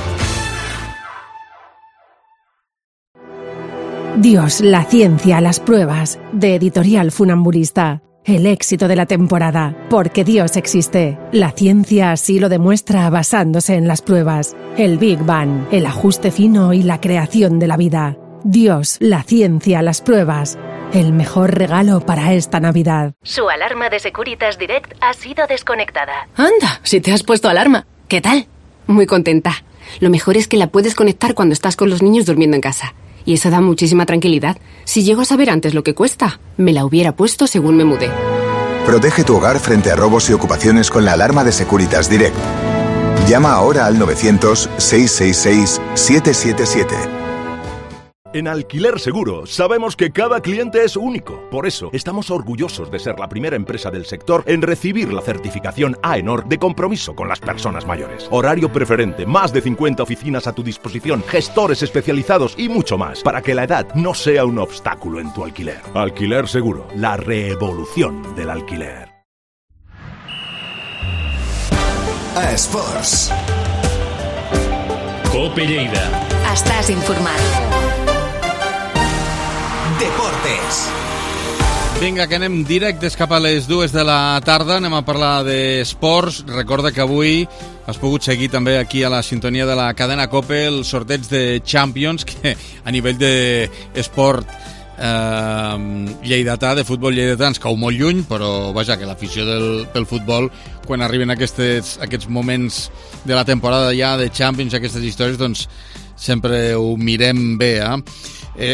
Dios, la ciencia, las pruebas, de Editorial Funambulista. El éxito de la temporada, porque Dios existe. La ciencia así lo demuestra basándose en las pruebas. El Big Bang, el ajuste fino y la creación de la vida. Dios, la ciencia, las pruebas. El mejor regalo para esta Navidad. Su alarma de Securitas Direct ha sido desconectada. Anda, si te has puesto alarma. ¿Qué tal? Muy contenta. Lo mejor es que la puedes conectar cuando estás con los niños durmiendo en casa. Y eso da muchísima tranquilidad. Si llego a saber antes lo que cuesta, me la hubiera puesto según me mudé. Protege tu hogar frente a robos y ocupaciones con la alarma de Securitas Direct. Llama ahora al 900-666-777. En Alquiler Seguro sabemos que cada cliente es único. Por eso estamos orgullosos de ser la primera empresa del sector en recibir la certificación AENOR de compromiso con las personas mayores. Horario preferente, más de 50 oficinas a tu disposición, gestores especializados y mucho más, para que la edad no sea un obstáculo en tu alquiler. Alquiler Seguro, la revolución del alquiler. A Esports. Cope Lleida. Estàs informat. Deportes. Vinga, que anem directes cap a les 2 de la tarda, anem a parlar d'esports. Recorda que avui has pogut seguir també aquí a la sintonia de la cadena COPE el sorteig de Champions, que a nivell d'esport lleidatà, de futbol lleidatà, ens cau molt lluny, però vaja, que l'afició pel futbol, quan arriben aquests moments de la temporada ja de Champions, aquestes històries, doncs sempre ho mirem bé,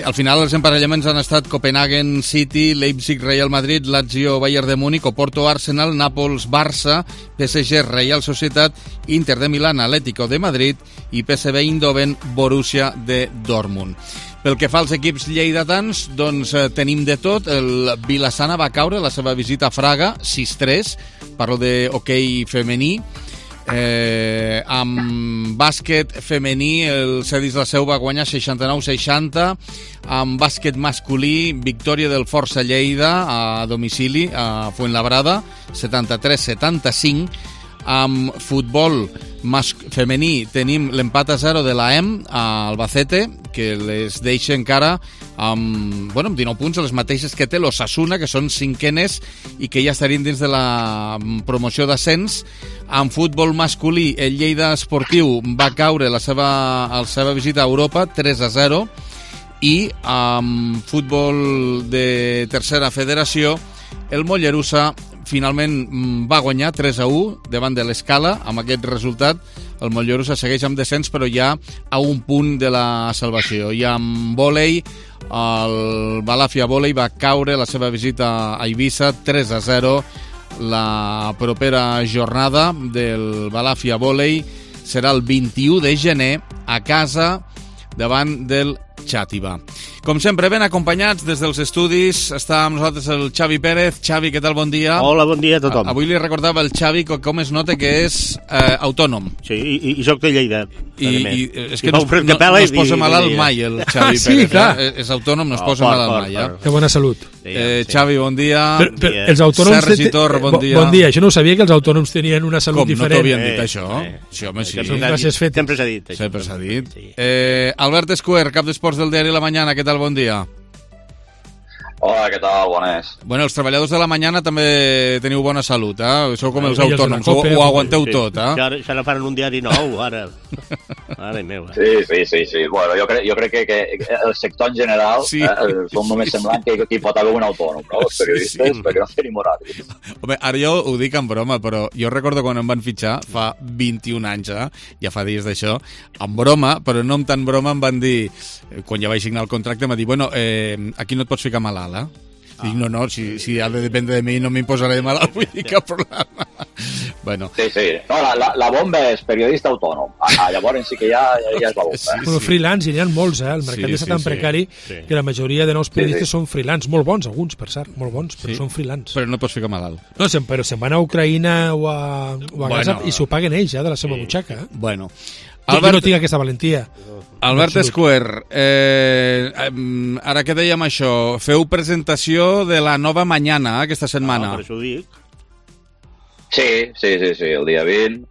al final els emparellaments han estat Copenhagen City, Leipzig Real Madrid, Lazio Bayern de Múnich, Oporto Arsenal, Nàpols Barça, PSG Real Societat, Inter de Milán Atlético de Madrid i PSV Eindhoven Borussia de Dortmund. Pel que fa als equips lleidatans, doncs tenim de tot. El Vilassana va caure la seva visita a Fraga, 6-3, parlo d'hoquei femení. Amb bàsquet femení el Cedis la Seu va guanyar 69-60, amb bàsquet masculí victòria del Força Lleida a domicili a Fuenlabrada 73-75. Amb futbol femení tenim l'empat a 0 de la EM a Albacete, que les deixa encara amb 19 punts, les mateixes que té l'Osasuna, que són cinquenes i que ja estarien dins de la promoció d'ascens. En futbol masculí, el Lleida Esportiu va caure la seva visita a Europa 3-0, i amb futbol de tercera federació, el Mollerussa finalment va guanyar 3-1 davant de l'Escala. Amb aquest resultat el Mollerussa segueix amb descens, però ja a un punt de la salvació. I amb vòlei, el Balàfia Vòlei va caure la seva visita a Eivissa 3-0. La propera jornada del Balàfia Vòlei serà el 21 de gener a casa davant del Xàtiva. Com sempre, ben acompanyats des dels estudis. Està amb nosaltres el Xavi Pérez. Xavi, què tal? Bon dia. Hola, bon dia a tothom. Avui li recordava el Xavi com es nota que és autònom. Sí, i soc de Lleida. I és que no es posa malalt mai el Xavi Pérez. Sí, clar. És autònom, no es posa malalt mai. Que bona salut. Xavi, bon dia. Els autònoms... Sergi Tor, bon dia. Bon dia. Jo no sabia que els autònoms tenien una salut diferent. Com, no t'havien dit això? Sí, home, sí. Sempre s'ha dit. Sempre s'ha dit. Albert Escuer, cap d'esports del diari La Mañana, què tal? Bon dia. Hola, què tal? Bones. Bueno, els treballadors de la mañana també teniu bona salut, eh? Sou com els autònoms, ho aguanteu tot, eh? Ja no faran un diari nou, ara. Mare meva. Sí. Bueno, jo crec que el sector en general som només semblant que hi pot haver un autònom, no? Els periodistes, perquè no tenim horari. Home, ara jo ho dic en broma, però jo recordo quan em van fitxar, fa 21 anys, ja fa dies d'això, en broma, però no amb tant broma, em van dir, quan ja vaig signar el contracte, em va dir, bueno, aquí no et pots ficar malalt, Dic, no, si ha de dependre de mi no m'hi posaré malalt, vull dir, cap problema. Bueno. Sí. No, la bomba és periodista autònom. Llavors sí que ja és la bomba. Però freelance, n'hi ha molts, El mercat està tan precari que la majoria de nous periodistes són freelance. Molt bons, alguns, per cert, molt bons, però són freelance. Però no pots ficar malalt. No, però se'n van a Ucraïna o a Gaza i s'ho paguen ells, de la seva butxaca. Bueno. Albert, jo no tinc aquesta valentia. Albert Escuer, ara que dèiem això, feu presentació de la nova Mañana aquesta setmana. Per això ho dic. Sí, el dia 20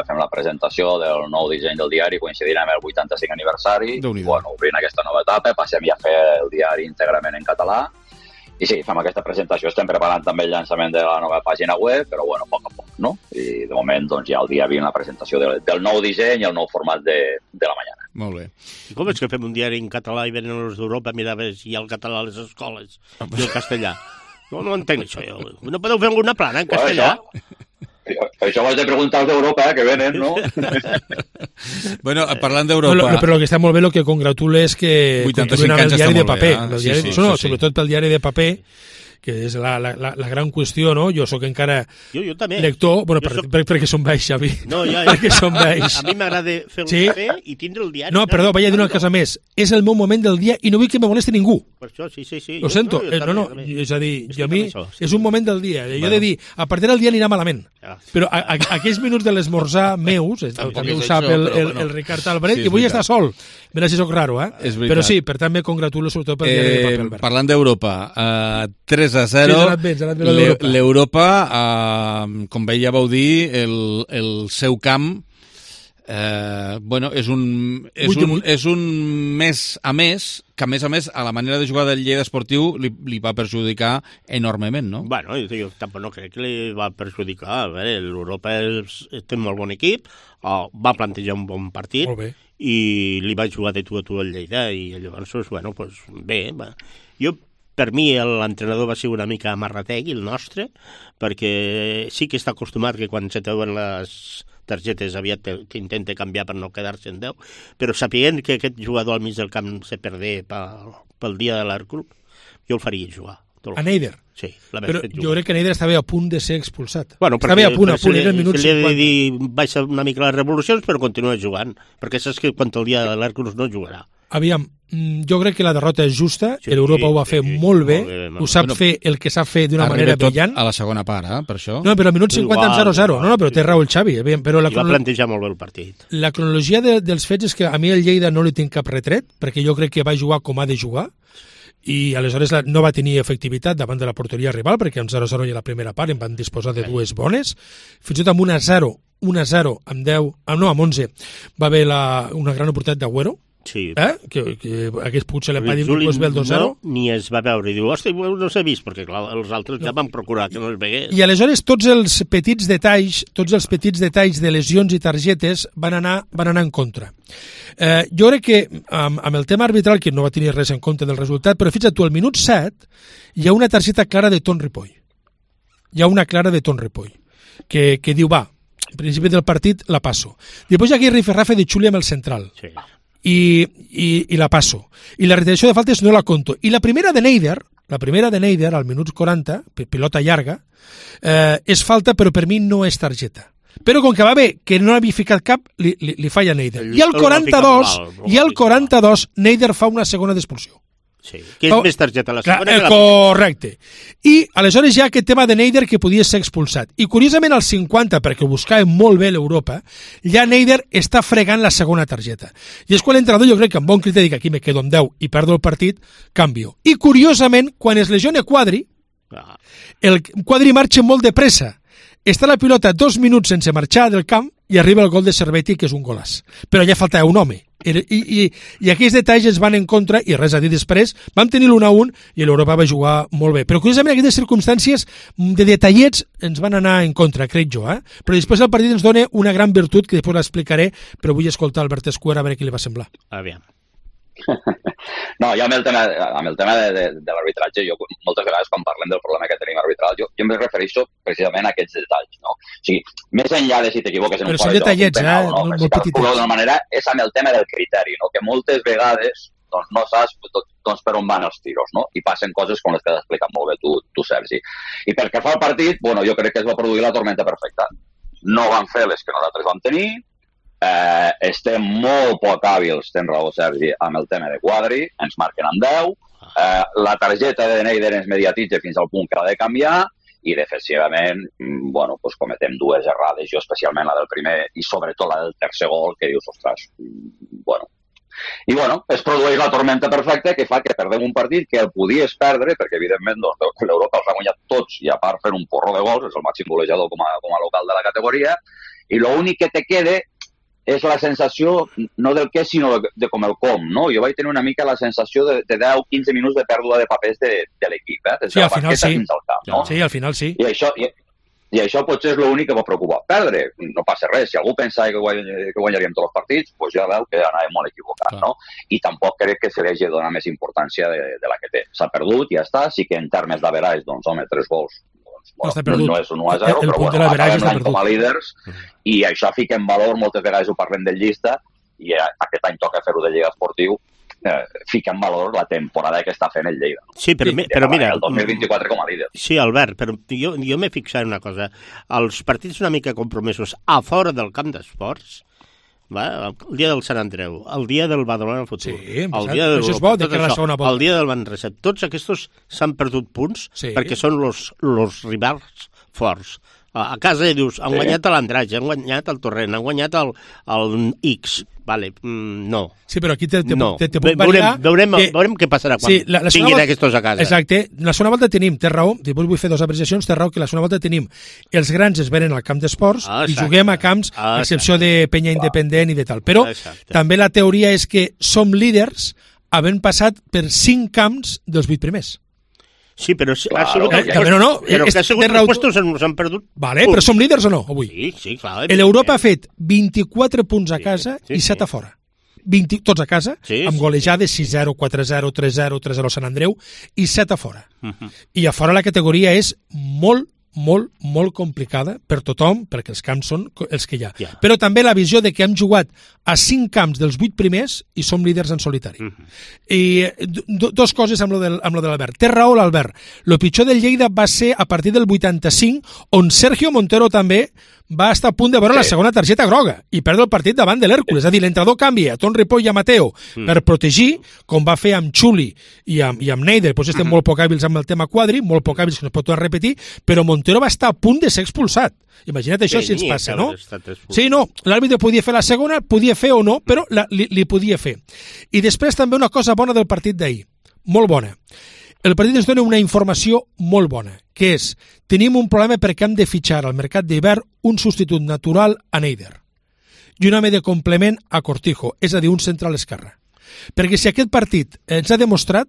fem la presentació del nou disseny del diari coincidint amb el 85 aniversari. Bueno, obrint aquesta nova etapa, passem ja a fer el diari íntegrament en català. I sí, fem aquesta presentació, estem preparant també el llançament de la nova pàgina web, però bueno, a poc, no? I de moment, doncs, ja el dia 20 la presentació del nou disseny i el nou format de la Mañana. Molt bé. I com és que fem un diari en català i venen els d'Europa a mirar si hi ha el català a les escoles i el castellà? No entenc això, jo. No podeu fer alguna plana en castellà? Això ho has de preguntar als d'Europa, que venen, no? Bueno, parlant d'Europa... Però el que està molt bé, el que congratula és que continuen amb el diari de paper. Sobretot pel diari de paper, que és la gran qüestió, no? Jo sóc encara lector, bueno, perquè som vells, Xavi. No, ja. Perquè som vells. A mi m'agrada fer un cafè i tindre el diari. No, perdó, vaig a dir una cosa més. És el meu moment del dia i no vull que me molesti ningú. Per això, sí. Ho sento. No, és a dir, a mi és un moment del dia. Jo he de dir, a partir del dia anirà malament. Però aquells minuts de l'esmorzar meus, també ho sap el Ricard Albret, i vull estar sol. Mira si sóc raro, Però sí, per tant me congratulo sobretot pel diari de paper, Albert. Parlant d'Europa, 3-0, l'Europa, com bé ja vau dir, el seu camp, bueno, és un mes a més, que a més a la manera de jugar del Lleida Esportiu li va perjudicar enormement, no? Bueno, jo tampoc no crec que li va perjudicar. A veure, l'Europa té un molt bon equip, va plantejar un bon partit i li va jugar de tu a tu al Lleida i llavors, bueno, bé. Jo, per mi, l'entrenador va ser una mica amarratec, el nostre, perquè sí que està acostumat que quan se treuen les targetes aviat t'intenta canviar per no quedar-se en 10, però sapient que aquest jugador al mig del camp se perdé pel dia de l'Hèrcul, jo el faria jugar. A Neider? Sí. Però jo crec que Neider estava a punt de ser expulsat. Bueno, estava a punt, era el minut 50. Se li ha de dir, baixa una mica les revolucions, però continua jugant, perquè saps que quan el dia de l'Hèrcul no jugarà. Aviam, jo crec que la derrota és justa, l'Europa ho va fer molt bé, ho sap fer el que sap fer d'una manera brillant. A la segona part, per això. No, però al minut 50 0-0. No, però té raó el Xavi. Però va plantejar molt bé el partit. La cronologia dels fets és que a mi el Lleida no li tinc cap retret, perquè jo crec que va jugar com ha de jugar, i aleshores no va tenir efectivitat davant de la porteria rival, perquè amb 0-0 i a la primera part en van disposar de dues bones, fins i tot amb 1-0 amb 10, amb 11 va haver una gran oportunitat d'Agüero, que hagués pogut ser l'empat i després ve el 2-0. Ni es va veure, i diu, hosti, no s'ha vist, perquè clar, els altres ja van procurar que no es vegués. I aleshores tots els petits detalls de lesions i targetes van anar en contra. Jo crec que amb el tema arbitral, que no va tenir res en compte del resultat, però fixa't tu, al minut 7 hi ha una targeta clara de Ton Ripoll. Que diu, va, al principi del partit la passo. Després hi ha aquí rifirrafe de Xuli amb el central. Sí. I la passo. I la reiteració de faltes no la conto. I la primera de Neider, al minut 40, pilota llarga, és falta, però per mi no és targeta. Però com que va bé que no havia ficat cap, li falla Neider. I al 42, Neider fa una segona d'expulsió. Sí, que és més targeta la segona. Correcte. I aleshores hi ha aquest tema de Neider que podia ser expulsat. I curiosament al 50, perquè ho buscava molt bé l'Europa, ja Neider està fregant la segona targeta. I és quan l'entrenador, jo crec que amb bon criteri, que aquí me quedo amb 10 i perdo el partit, canvio. I curiosament, quan es lesiona Quadri, el Quadri marxa molt de pressa. Està la pilota 2 minuts sense marxar del camp i arriba el gol de Cervetti, que és un golaç. Però ja faltava un home. I aquells detalls ens van en contra, i res a dir després, vam tenir l'1-1 i l'Europa va jugar molt bé. Però curiosament aquestes circumstàncies de detallets ens van anar en contra, crec jo. Però després el partit ens dona una gran virtut que després l'explicaré, però vull escoltar Albert Escuer a veure què li va semblar. Aviam. No, jo amb el tema de l'arbitratge, jo moltes vegades quan parlem del problema que tenim arbitral, jo em refereixo precisament a aquests detalls, no? O sigui, més enllà de si t'equivoques en un fora de joc, un penal, no? Molt petitets. D'alguna manera és amb el tema del criteri, no? Que moltes vegades doncs, no saps doncs, per on van els tiros, no? I passen coses com les que has explicat molt bé tu, Sergi. I pel que fa al partit, bueno, jo crec que es va produir la tormenta perfecta. No van fer les que nosaltres vam tenir, estem molt poc hàbils, tens raó Sergi, amb el tema de Quadri, ens marquen amb 10, la targeta de Neider ens mediatitza fins al punt que l'ha de canviar i defensivament, bueno, pues cometem dues errades, jo especialment la del primer i sobretot la del tercer gol, que dius, ostres, bueno. I bueno, es produeix la tormenta perfecta que fa que perdem un partit que el podies perdre, perquè evidentment doncs, l'Europa els ha guanyat tots i a part fent un porró de gols, és el màxim golejador com a local de la categoria, i l'únic que te queda és la sensació, no del què, sinó de com el com, no? Jo vaig tenir una mica la sensació de 10-15 minuts de pèrdua de papers de l'equip, des de la banqueta fins al camp, no? Sí, al final sí. I això potser és l'únic que va preocupar. Perdre, no passa res. Si algú pensava que guanyaríem tots els partits, doncs ja veu que anàvem molt equivocat, no? I tampoc crec que se li hagi de donar més importància de la que té. S'ha perdut, ja està. Sí que en termes d'average, doncs, home, 3 gols bueno, no és un 1-0, però bueno, acabem l'any com a líders i això fica en valor, moltes vegades ho parlem del llista i aquest any toca fer-ho de Lliga Esportiu, fica en valor la temporada que està fent el Lleida. Sí, però mira... El 2024 com a líder. Sí, Albert, però jo m'he fixat en una cosa. Els partits una mica compromesos a fora del camp d'esports, el dia del Sant Andreu, el dia del Badalona Futur, el dia del el dia del Manresa, tots aquests s'han perdut punts perquè són los rivals forts. A casa dius, han guanyat l'Andratx, han guanyat el Torrent, han guanyat el X. Vale, no. Sí, però aquí te puc variar... Veurem què passarà quan vinguin aquests a casa. Exacte. La segona volta tenim, té raó, després vull fer dues apreciacions, té raó que la segona volta tenim els grans es venen al camp d'esports i juguem a camps, a excepció de penya independent i de tal. Però també la teoria és que som líders havent passat per 5 camps dels 8 primers. Sí, però ha sigut... Però que ha sigut els puestos s'han perdut. Vale, però som líders o no, avui? Sí, clar. L'Europa ha fet 24 punts a casa i 7 a fora. Tots a casa, amb golejades 6-0, 4-0, 3-0, 3-0 Sant Andreu i 7 a fora. I a fora la categoria és molt complicada per tothom, perquè els camps són els que hi ha. Però també la visió de que hem jugat a 5 camps dels 8 primers i som líders en solitari. I dos coses amb lo de l'Albert. Té raó l'Albert. Lo pitjor del Lleida va ser a partir del 85, on Sergio Montero també va estar a punt de veure la segona targeta groga i perdre el partit davant de l'Hèrcules. És a dir, l'entrenador canvia a Ton Ripoll i a Mateo per protegir, com va fer amb Xuli i amb Neider. Doncs estem molt poc hàbils amb el tema Quadri, molt poc hàbils que no es pot tornar a repetir, però Montero va estar a punt de ser expulsat. Imagina't això si ens passa, no? Sí, no, l'àrbitre podia fer la segona, podia fer o no, però li podia fer. I després també una cosa bona del partit d'ahir, molt bona. El partit ens dona una informació molt bona, que és, tenim un problema perquè hem de fitxar al mercat d'hivern un substitut natural a Neider i un home de complement a Cortijo, és a dir, un central esquerre. Perquè si aquest partit ens ha demostrat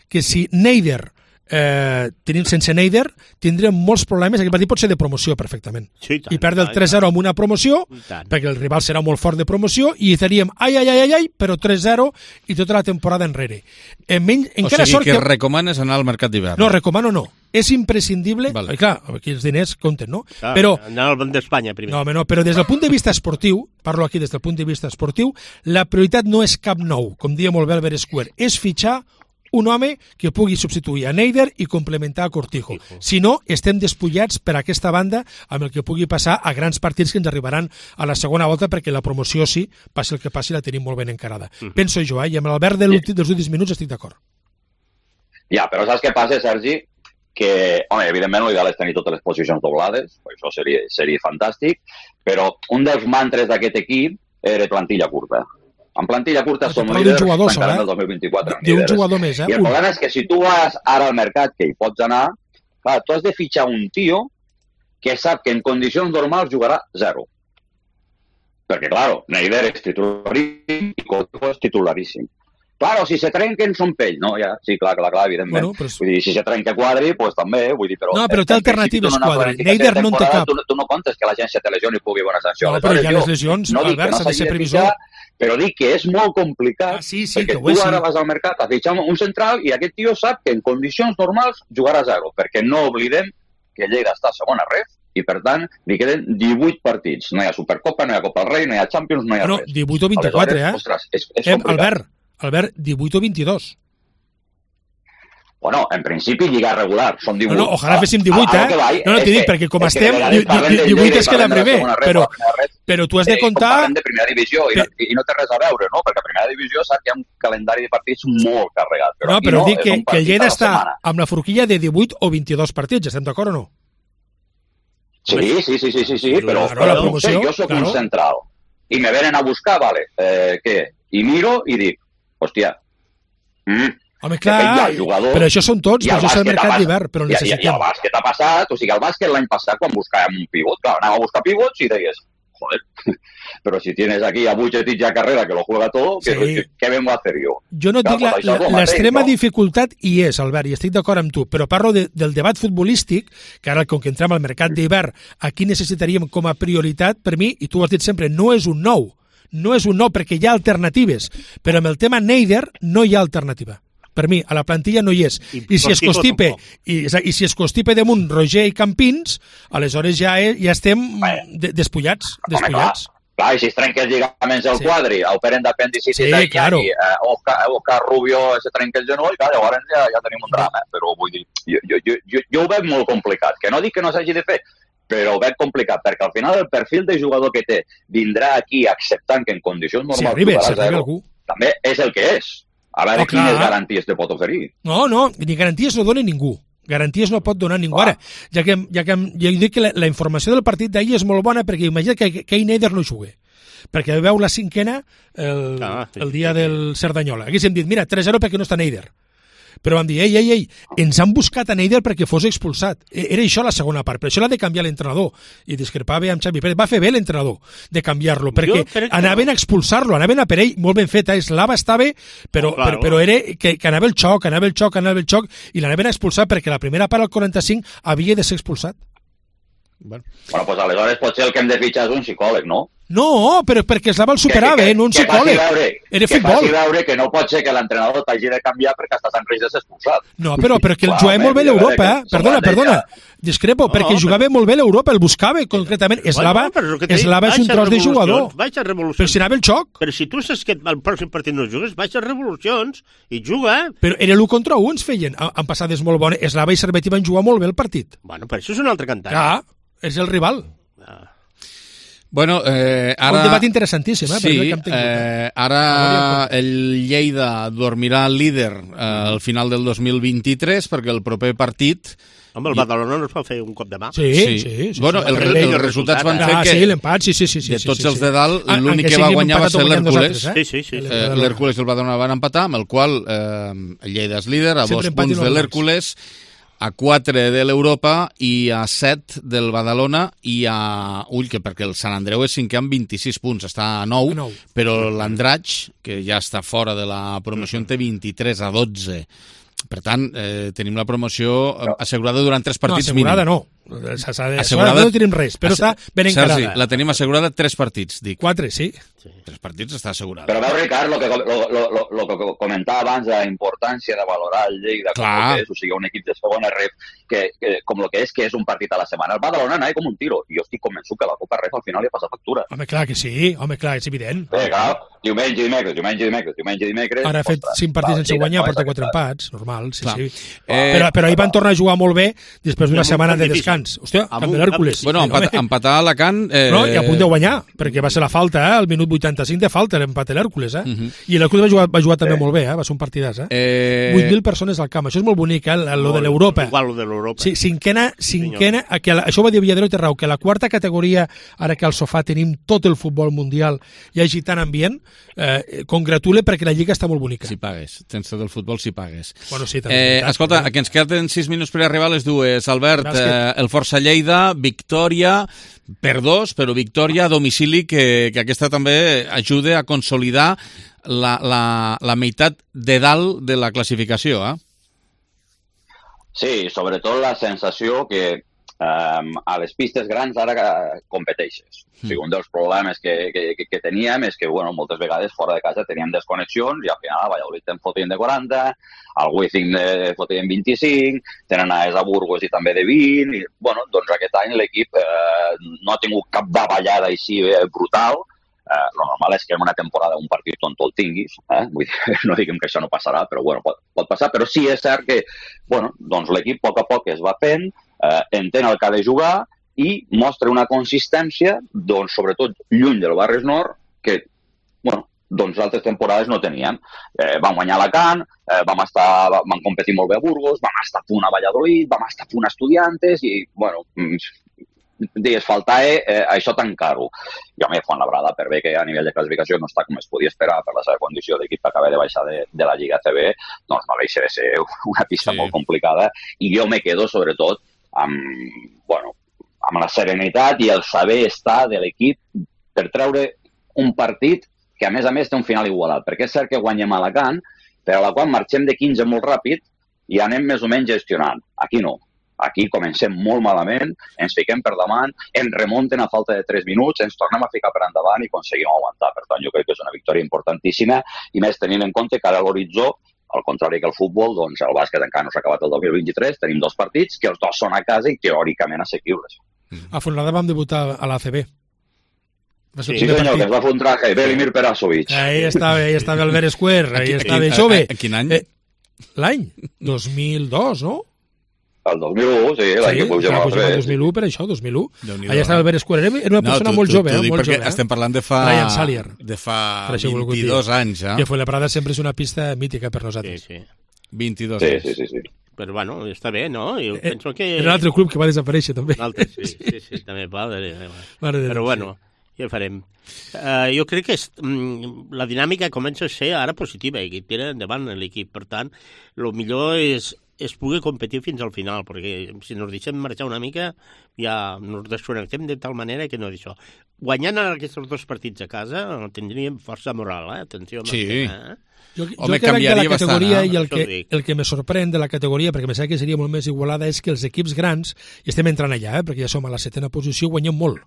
que si Neider tenim sense Neider, tindrem molts problemes. Aquest partit pot ser de promoció perfectament. I perdre el 3-0 amb una promoció, perquè el rival serà molt fort de promoció, i estaríem però 3-0 i tota la temporada enrere. O sigui que recomanes anar al mercat d'hivern. No, recomano no. És imprescindible, clar, aquí els diners compten, no? Però anar al Banc d'Espanya primer. No, però des del punt de vista esportiu, parlo aquí des del punt de vista esportiu, la prioritat no és cap nou, com dia molt bé Albert Escuer, és fitxar un home que pugui substituir a Neider i complementar a Cortijo. Si no, estem despullats per aquesta banda amb el que pugui passar a grans partits que ens arribaran a la segona volta, perquè la promoció, sí, passi el que passi, la tenim molt ben encarada. Penso jo, i amb l'Albert dels últims minuts estic d'acord. Ja, però saps què passa, Sergi? Que, home, evidentment l'ideal és tenir totes les posicions doblades, això seria fantàstic, però un dels mantres d'aquest equip era plantilla curta. En plantilla curta som líders encara el 2024. D'un jugador més, I el problema és que si tu vas ara al mercat, que hi pots anar, clar, tu has de fitxar un tio que sap que en condicions normals jugarà 0. Perquè, claro, Neider és titularíssim i Couto és titularíssim. Claro, si se trenquen són pell, no? Ja, sí, clar, evidentment. Bueno, però... Vull dir, si se trenca Quadri, pues també, vull dir, però... No, però té alternatives, Quadri. Neider no en té cap. Tu no comptes que la gent se te lesioni i pugui bona sanció. No, però hi ha les lesions, Albert, s'ha de ser previsor. Però dic que és molt complicat, perquè tu ara vas al mercat a fitxar un central i aquest tio sap que en condicions normals jugarà a zero, perquè no oblidem que Lleida està a segona ref i, per tant, li queden 18 partits. No hi ha Supercopa, no hi ha Copa del Rei, no hi ha Champions, no hi ha res. 18 o 24, Ostres, és complicat. Albert, 18 o 22. Bueno, en principi lliga regular, són 18. No, ojalà féssim 18, No, t'he dit, perquè com estem, 18 es queda primer, però tu has de comptar... Parlem de primera divisió i no té res a veure, no? Perquè a primera divisió sap que hi ha un calendari de partits molt carregat. No, però dic que el Lleida està amb la forquilla de 18 o 22 partits, estem d'acord o no? Sí, però no sé, jo sóc un central i me venen a buscar, vale, què? I miro i dic, hòstia, home, clar, però això són tots, però això és el mercat d'hivern, però el necessitem. I el bàsquet ha passat, o sigui, el bàsquet l'any passat, quan buscàvem un pivot, clar, anàvem a buscar pivots i deies, joder, però si tienes aquí a Vucetich y a Carrera que lo juega todo, ¿qué vengo a hacer yo? Jo no et dic l'extrema dificultat hi és, Albert, i estic d'acord amb tu, però parlo del debat futbolístic, que ara com que entrem al mercat d'hivern, aquí necessitaríem com a prioritat, per mi, i tu ho has dit sempre, no és un nou perquè hi ha alternatives, però amb el tema Neider no hi ha alternativa. Per mi, a la plantilla no hi és. I si es constipe damunt Roger i Campins, aleshores ja estem despullats. Clar, i si es trenca els lligaments del Quadri, operen d'apendicitis o que Rubio se trenca el genoll, clar, llavors ja tenim un drama. Però vull dir, jo ho veig molt complicat, que no dic que no s'hagi de fer, però ho veig complicat, perquè al final el perfil de jugador que té vindrà aquí acceptant que en condicions normals jugarà zero, també és el que és. A veure quines garanties te pot oferir. No, ni garanties no dona ningú. Garanties no pot donar ningú. Ara, ja que jo dic que la informació del partit d'ahir és molt bona, perquè imagina que Neider no jugui. Perquè veu la cinquena el dia del Cerdanyola. Aquí hem dit, mira, 3-0 perquè no està Neider. Però vam dir, ei, ens han buscat a Neider perquè fos expulsat. Era això la segona part, però això l'ha de canviar l'entrenador. I discrepava amb Xavi Pérez. Va fer bé l'entrenador de canviar-lo, perquè anaven a expulsar-lo, anaven a per ell, molt ben fet, Eslava està bé, però era que anava el xoc, i l'anaven a expulsar perquè la primera part al 45 havia de ser expulsat. Bueno, pues aleshores potser el que hem de fitxar és un psicòleg, no? No, però perquè Eslava el superava, no un psicòleg. Era futbol. Que faci veure que no pot ser que l'entrenador t'hagi de canviar perquè estàs en risc de ser expulsat. No, però que el jugava molt bé l'Europa, Perdona, discrepo, perquè jugava molt bé l'Europa, el buscava concretament. Eslava és un tros de jugador. Però si anava el xoc. Però si tu saps que el pròxim partit no jugues, baixes revolucions i juga. Però era l'1 contra 1 ens feien, en passades molt bones. Eslava i Cervetti van jugar molt bé el partit. Bueno, però això és un altre cantant. Ja, és el rival. Bueno, ara... Un debat interessantíssim, Sí, ara el Lleida dormirà líder al final del 2023 perquè el proper partit... Home, el Badalona no es va fer un cop de mà. Sí. Bueno, els resultats van fer que... Sí, l'empat, sí. De tots els de dalt, l'únic que va guanyar va ser l'Hèrcules. Sí. L'Hèrcules i el Badalona van empatar, amb el qual el Lleida és líder, a 2 punts de l'Hèrcules, a 4 de l'Europa i a 7 del Badalona i a... perquè el Sant Andreu és 5è amb 26 punts, està a 9, però l'Andratx, que ja està fora de la promoció, en té 23 a 12. Per tant, tenim la promoció assegurada durant 3 partits mínim. No, assegurada no. Assegurada no tenim res, però està ben encarada. Sergi, la tenim assegurada 3 partits, dic. 4, sí. 3 partits està assegurada. Però veu, Ricard, lo que comentava abans, la importància de valorar el Lleida com que és, o sigui, un equip de segona ref, com el que és un partit a la setmana. El Badalona anava com un tiro, i jo estic convençut que la Copa Ref al final li ha passat factura. Home, clar que sí, és evident. Sí, clar, diumenge i dimecres... Ara ha fet 5 partits sense guanyar, porta 4 empats, normal, sí. Però ahir van tornar a jugar molt bé després d'una setmana de descans. Hòstia, camp de l'Hèrcules. Bueno, empatar a Alacant... No, i a punt de guanyar, perquè va ser la falta, al minut 85 de falta, l'empat de l'Hèrcules, I l'Hèrcules va jugar també molt bé, va ser un partidàs, 8.000 persones al camp, això és molt bonic, lo de l'Europa. Igual lo de l'Europa. Sí, cinquena, això ho va dir Villadero té raó, que la quarta categoria, ara que al sofà tenim tot el futbol mundial, hi hagi tant ambient, congratule perquè la lliga està molt bonica. Si pagues, tens tot el futbol si pagues. Bueno, sí, també. Escolta, que ens queden 6 minuts per arribar a les 2. Albert, el el Força Lleida, victòria per 2, però victòria a domicili que aquesta també ajuda a consolidar la meitat de dalt de la classificació, Sí, sobretot la sensació que a les pistes grans ara competeixes. O sigui, un dels problemes que teníem és que moltes vegades fora de casa teníem desconnexions i al final a Valladolid te'n fotien de 40, al Wizzing fotien 25, tenen a Burgos i també de 20, i doncs aquest any l'equip no ha tingut cap davallada així brutal. Lo normal és que en una temporada un partit on el tinguis, vull dir, no diguem que això no passarà, però pot passar, però sí és cert que doncs l'equip a poc es va fent, entén el que ha de jugar i mostra una consistència, doncs, sobretot lluny del Barris Nord, que doncs altres temporades no teníem. Vam guanyar Alacant, vam competir molt bé a Burgos, vam estar a punt a Valladolid, vam estar a punt a Estudiantes i, digues, faltar això tancar-ho. I home, Fuenlabrada, per bé que a nivell de classificació no està com es podia esperar per la seva condició d'equip que acaba de baixar de la Lliga CB, doncs no deixa de ser una pista molt complicada i jo me quedo sobretot amb la serenitat i el saber estar de l'equip per treure un partit que a més té un final igualat, perquè és cert que guanyem a Alacant, però a la qual marxem de 15 molt ràpid i anem més o menys gestionant. Aquí no. Aquí comencem molt malament, ens fiquem per davant, ens remunten a falta de 3 minuts, ens tornem a ficar per endavant i aconseguim aguantar. Per tant, jo crec que és una victòria importantíssima i més tenint en compte que ara l'horitzó, al contrari que el futbol, doncs el bàsquet encara no s'ha acabat el 2023, tenim 2 partits que els 2 són a casa i teòricament assequibles. A Fuenlabrada vam debutar a l'ACB. Sí, senyor, que es va fer un traje, Velimir Perasovic. Ahí estava Albert Square, ahí estava Jove. Quin any? L'any 2002, no? El 2001, sí, l'any que pugem a la 3. El 2001, per això, 2001. Allà estava Albert Square, era una persona molt jove. Molt jove, estem parlant de fa 22 anys. I Fuenlabrada sempre és una pista mítica per nosaltres. Sí. 22 anys. Sí. Però bueno, està bé, no? Jo penso que... Era un altre club que va desaparèixer, també. Un altre, sí, també padre. Però bueno, ja farem. Jo crec que la dinàmica comença a ser ara positiva i que tira endavant l'equip. Per tant, el millor és poder competir fins al final, perquè si ens deixem marxar una mica ja ens desconnectem de tal manera que no d'això. Guanyant aquests 2 partits a casa tindríem força moral, Atenció. Sí. Jo crec que la categoria i el que me sorprèn de la categoria, perquè me sembla que seria molt més igualada, és que els equips grans, i estem entrant allà, perquè ja som a la 7ª posició, guanyem molt.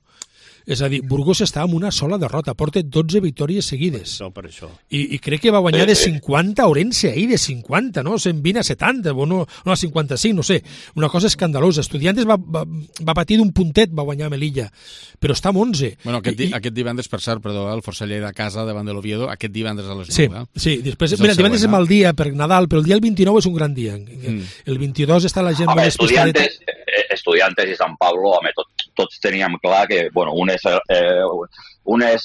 És a dir, Burgos està amb una sola derrota, porta 12 victòries seguides. Per això. I crec que va guanyar de 50 a Orense ahir, de 50, no? 120 a 70, o no a 55, no sé. Una cosa escandalosa. Estudiantes va patir d'un puntet, va guanyar a Melilla, però està amb 11. Bueno, aquest divendres, per cert, el Força Lleida a casa davant de l'Oviedo, aquest divendres a les 9. Sí, després, mira, divendres és mal dia per Nadal, però el dia 29 és un gran dia. El 22 està la gent... Estudiantes i Sant Pablo, tots teníem clar que, un és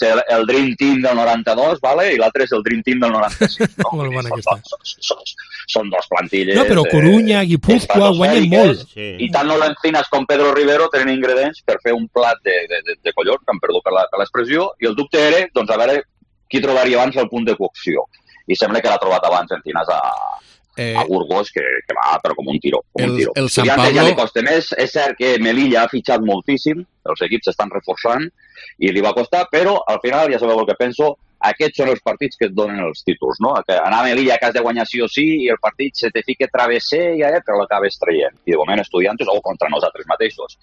el Dream Team del 92, ¿vale? I l'altre és el Dream Team del 96. No? Molt bona aquesta. Són 2 plantilles... No, però Coruña, Guipúzcoa, guanyen molt. Sí. I tant Encinas com Pedro Rivero tenen ingredients per fer un plat de collons, que em perdó per l'expressió, i el dubte era, doncs, a veure qui trobaria abans el punt de cocció. I sembla que l'ha trobat abans Encinas a Burgos, que va, però com un tiro. El Sant Pablo... Ja li costa més. És cert que Melilla ha fitxat moltíssim, els equips s'estan reforçant, i li va costar, però al final, ja sabeu el que penso, aquests són els partits que et donen els títols, no? Que anar a Melilla que has de guanyar sí o sí, i el partit se te fica travesser, però l'acabes traient. I de moment Estudiantes, o contra nosaltres mateixos,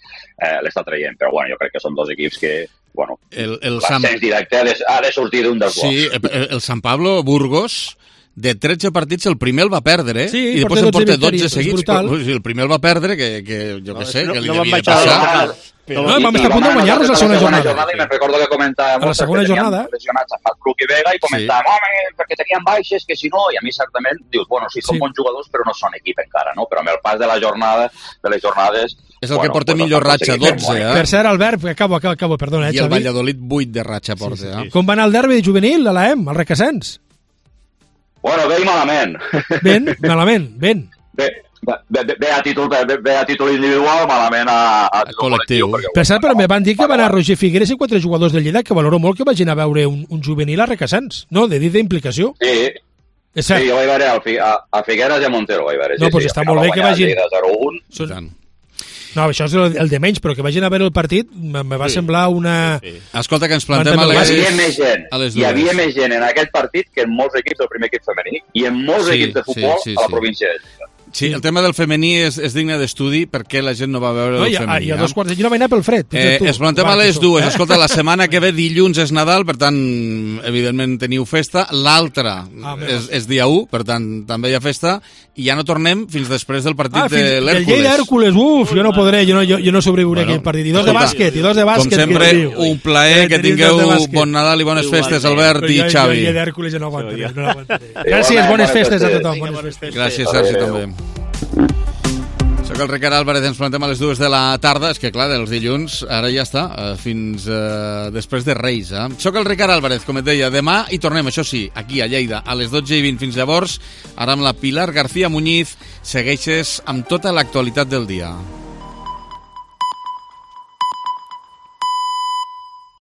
l'està traient. Però jo crec que són 2 equips que... l'ascens directe ha de sortir d'un dels dos. Sí, el Sant Pablo, Burgos... De 13 partits, el primer el va perdre, sí, i després en porta 12 seguits. El primer el va perdre, que jo què sé, que li devia passar... Vam estar a punt de guanyar-los a la segona jornada. I me recordo que comentàvem... A la segona jornada... lesionats a Patruc i Vega, i comentàvem, home, perquè tenien baixes, que si no... I a mi, certament, dius, sí, són bons jugadors, però no són equip encara, no? Però amb el pas de la jornada, de les jornades... És el que porta millor ratxa, 12, Per cert, Albert, acabo, perdona, i el Valladolid 8 de ratxa porta, Com va anar el derbi juvenil a l'AEM, al Requesens? Bueno, bé i malament. Malament. Bé a títol individual, malament a títol col·lectiu. Per cert, però me van dir que van anar Roger Figueres i 4 jugadors del Lleida, que valoro molt que vagin a veure un juvenil a Requesens. No, de dir d'implicació. Sí, jo vaig veure a Figueres i a Montero. No, doncs està molt bé que vagin. No, això és el de menys, però que vagin a veure el partit me va semblar una... Escolta, que ens plantem a les 2. Hi havia més gent en aquest partit que en molts equips del primer equip femení i en molts equips de futbol a la província de Lleida. Sí, el tema del femení és digne d'estudi perquè la gent no va veure el femení. I a 2:15, jo no vaig anar pel fred. Es plantem a les 2. Escolta, la setmana que ve dilluns és Nadal, per tant, evidentment teniu festa. L'altra és dia 1, per tant, també hi ha festa. I ja no tornem fins després del partit de l'Hèrcules. El Lleida Hèrcules, jo no podré, jo no sobreviuré aquell partit. I dos de bàsquet. Com sempre, un plaer, que tingueu bon Nadal i bones festes, Albert i Xavi. El Lleida Hèrcules ja no aguantaré. Gràcies, bones festes a tothom. Gràcies, Sergi, també. Soc el Ricard Álvarez, ens plantem a les 2 de la tarda. És que clar, dels dilluns, ara ja està, fins després de Reis. Soc el Ricard Álvarez, com et deia, demà i tornem, això sí, aquí a Lleida, a les 12:20. Fins llavors, ara amb la Pilar García Muñiz, segueixes amb tota l'actualitat del dia.